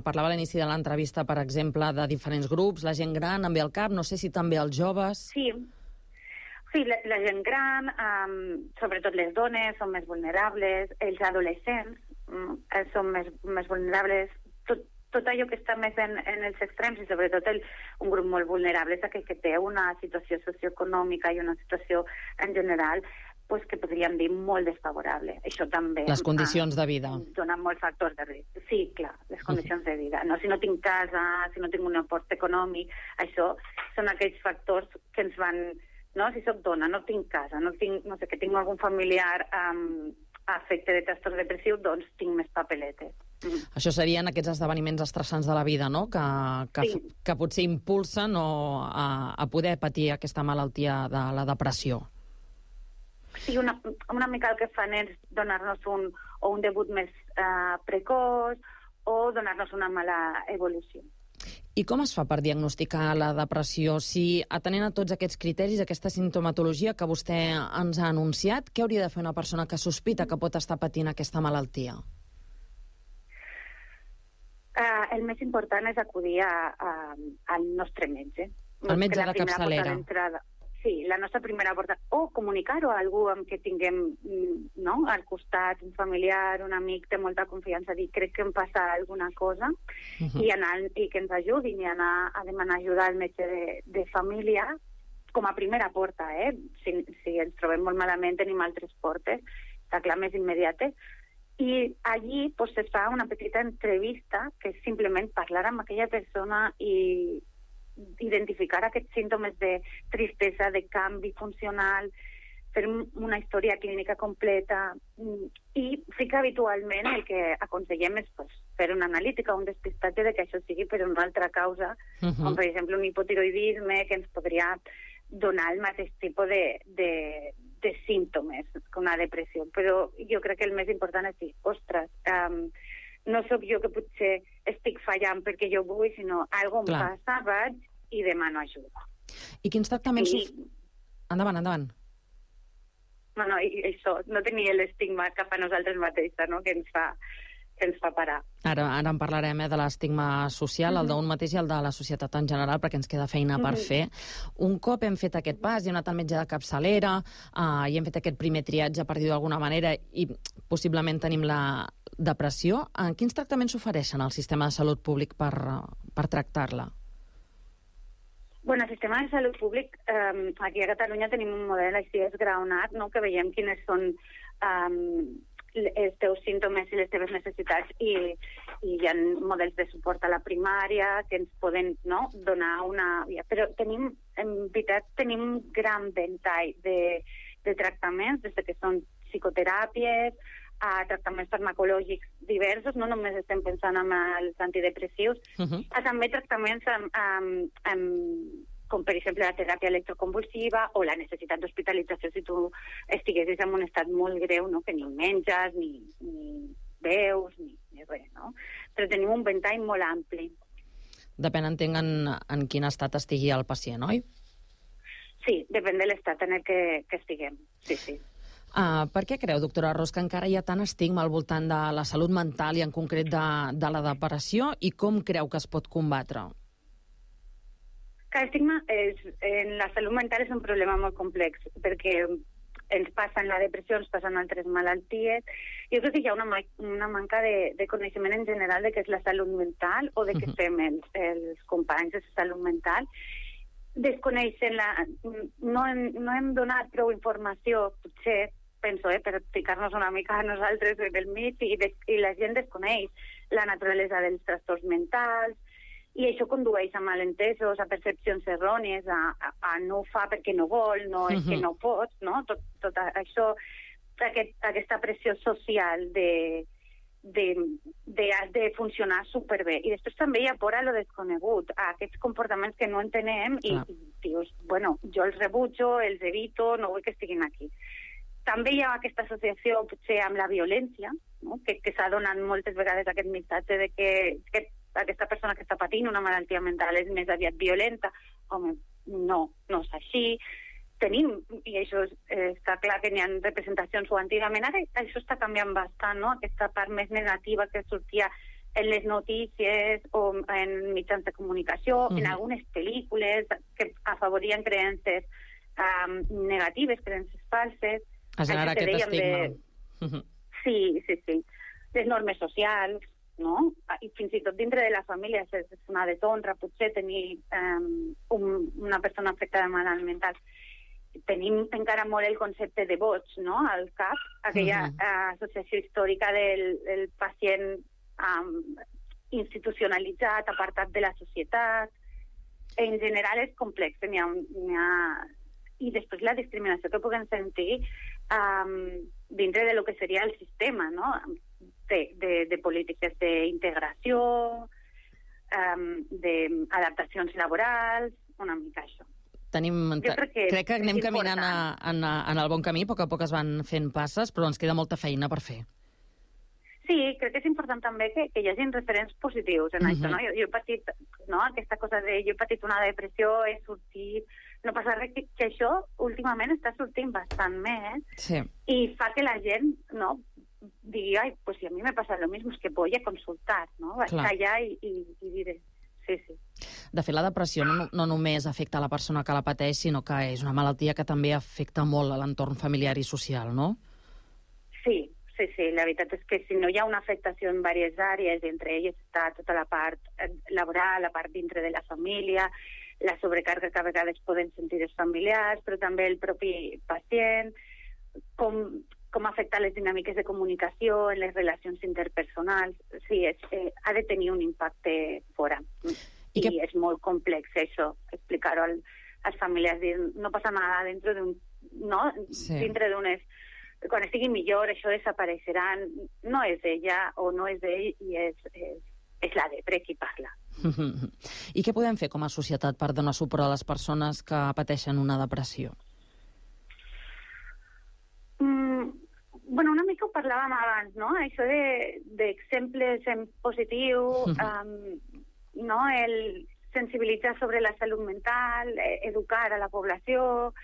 Parlava a l'inici de l'entrevista, per exemple, de diferents grups, la gent gran, em ve al cap, no sé si també els joves... Sí, la gent gran, sobretot les dones, són més vulnerables, els adolescents són més vulnerables, tot allò que està més en els extrems, i sobretot un grup molt vulnerable és aquell que té una situació socioeconòmica i una situació en general pues, que podríem dir molt desfavorable. Això també... Les condicions de vida. Dona molts factors de risc. Sí, clar, les condicions de vida. No? Si no tinc casa, si no tinc un aport econòmic, això són aquells factors que ens van... No? Si soc dona, no tinc casa, no sé, que tinc algun familiar afecte de trastorn depressiu, doncs tinc més papeletes. Això serien aquests esdeveniments estressants de la vida, no?, que potser impulsen a poder patir aquesta malaltia de la depressió. Sí, una mica el que fan és donar-nos un debut més precoç o donar-nos una mala evolució. I com es fa per diagnosticar la depressió? Si, atenent a tots aquests criteris, aquesta simptomatologia que vostè ens ha anunciat, què hauria de fer una persona que sospita que pot estar patint aquesta malaltia? El més important és acudir al nostre metge. El metge de capçalera. Sí, la nostra primera porta. O comunicar-ho a algú amb què tinguem al costat, un familiar, un amic, té molta confiança, dir crec que em passa alguna cosa, i que ens ajudin i anar a demanar ajuda al metge de família com a primera porta. Si ens trobem molt malament tenim altres portes, està clar, més immediates. I allí es fa una petita entrevista que és simplement parlar amb aquella persona i identificar aquests símptomes de tristesa, de canvi funcional, fer una història clínica completa, i sí que habitualment el que aconsellem és fer una analítica, un despistatge de que això sigui per una altra causa, com per exemple un hipotiroidisme que ens podria donar el mateix tipus de símptomes que una depressió. Però jo crec que el més important és dir, ostres, no sóc jo que potser estic fallant perquè jo vull, sinó alguna cosa em passa, vaig i demano ajuda. I quins tractaments... Endavant. No, i això, no tenir l'estigma cap a nosaltres mateixes, no?, que ens fa parar. Ara en parlarem de l'estigma social, el d'un mateix i el de la societat en general, perquè ens queda feina per fer. Un cop hem fet aquest pas, i hem anat al metge de capçalera, i hem fet aquest primer triatge, per dir-ho d'alguna manera, i possiblement tenim la depressió, quins tractaments s'ofereixen al sistema de salut públic per tractar-la? Bueno, el sistema de salut públic, aquí a Catalunya tenim un model així esgraonat, no?, que veiem quines són els teus símptomes i les teves necessitats, i hi ha models de suport a la primària que ens poden donar una... Però en veritat tenim un gran ventall de tractaments, des que són psicoteràpies, a tractaments farmacològics diversos, no només estem pensant en els antidepressius, a també tractaments com per exemple la teràpia electroconvulsiva o la necessitat d'hospitalització si tu estiguessis en un estat molt greu, no? Que ni menges, ni veus, ni res, no? Però tenim un ventall molt ampli. Depèn, entenc, en quin estat estigui el pacient, oi? Sí, depèn de l'estat en el que estiguem, sí. Per què creu, doctora Ros, que encara hi ha tant estigma al voltant de la salut mental i en concret de la depressió, i com creu que es pot combatre? El estigma en la salut mental és un problema molt complex, perquè ens passa en la depressió, ens passen altres malalties. Jo crec que hi ha una manca de coneixement en general de què és la salut mental o de què fem els companys de salut mental. Desconeixen no hem donat prou informació, potser, penso, per ficar-nos una mica a nosaltres del mig, i la gent desconeix la naturalesa dels trastorns mentals, i això condueix a malentesos, a percepcions errònies, a no ho fa perquè no vol, no és que no pots, no? Tot això, aquesta pressió social de funcionar superbé. I després també hi ha por a lo desconegut, a aquests comportaments que no entenem i dius, bueno, jo els rebutjo, els evito, no vull que estiguin aquí. També hi ha aquesta associació potser amb la violència, no? que s'ha donat moltes vegades aquest missatge de que aquesta persona que està patint una malaltia mental és més aviat violenta. Home, no és així. Tenim, i això està clar que n'hi ha representacions o antigament, ara això està canviant bastant, no? Aquesta part més negativa que sortia en les notícies o en mitjans de comunicació, en algunes pel·lícules que afavorien creences negatives, creences falses. A generar aquest estigma. Sí. Les normes socials, no? I fins i tot dintre de la família és una deshonra potser tenir una persona afectada mental. Tenim encara molt el concepte de boig, no?, al cap, aquella associació històrica del pacient institucionalitzat, apartat de la societat. En general és complex, i després la discriminació que puguem sentir dintre de lo que seria el sistema, no?, de polítiques d'integració, d'adaptacions laborals, una mica això. Crec que anem caminant en el bon camí, a poc es van fent passes, però ens queda molta feina per fer. Sí, crec que és important també que hi hagi referents positius en això, no? Jo he patit, no?, aquesta cosa de jo he patit una depressió, he sortit... No passa res, que això últimament està sortint bastant més i fa que la gent, no, digui, ai, pues si a mi me pasa lo mismo, es que voy a consultar, no? Vaig allà i diré... Sí. De fet, la depressió no només afecta a la persona que la pateix, sinó que és una malaltia que també afecta molt a l'entorn familiar i social, no? Sí. La veritat és que si no hi ha una afectació en diverses àrees, entre elles està tota la part laboral, la part dintre de la família, la sobrecàrrega que a vegades poden sentir els familiars, però també el propi pacient, com afecta les dinàmiques de comunicació en les relacions interpersonals. Sí, ha de tenir un impacte fora. I és molt complex això, explicar-ho als familiars. No passa nada dintre d'unes... Quan estigui millor, això desapareixerà. No és ella o no és ell, i és la depre qui parla. I què podem fer com a societat per donar suport a les persones que pateixen una depressió? Bueno, una mica ho parlàvem abans, no? Això d'exemples en positiu, no? El sensibilitzar sobre la salut mental, educar a la població,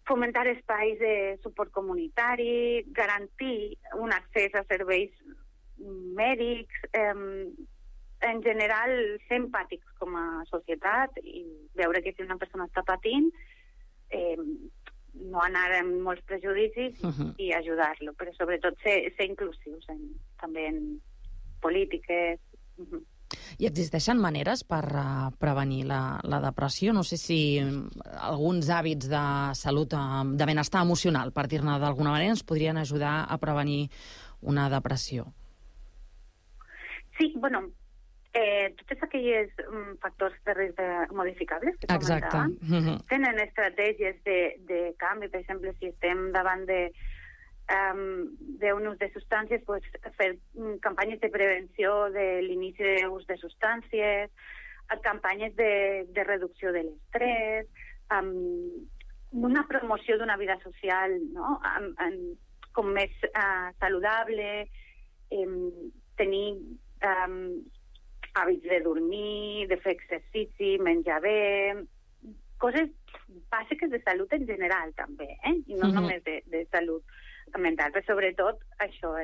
fomentar espais de suport comunitari, garantir un accés a serveis mèdics, en general ser empàtics com a societat i veure que si una persona està patint no anar amb molts prejudicis i ajudar-lo, però sobretot ser inclusius també en polítiques. I existeixen maneres per prevenir la depressió? No sé si alguns hàbits de salut, de benestar emocional, per dir-ne d'alguna manera, ens podrien ajudar a prevenir una depressió. Sí, bueno, tots aquells factors de risc modificables que comentaven tenen estratègies de canvi. Per exemple, si estem davant d'un ús de substàncies, pues, fer campanyes de prevenció de l'inici d'ús de substàncies, campanyes de reducció de l'estrès, una promoció d'una vida social, no? Com més saludable, tenir hàbits de dormir, de fer exercici, menjar bé, coses bàsiques de salut en general també, i no només de salut mental, però sobretot això,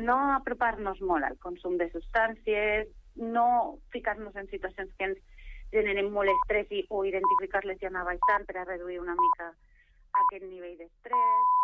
no apropar-nos molt al consum de substàncies, no ficar-nos en situacions que ens generen molt estrès o identificar-les i anar baixant per a reduir una mica aquest nivell d'estrès.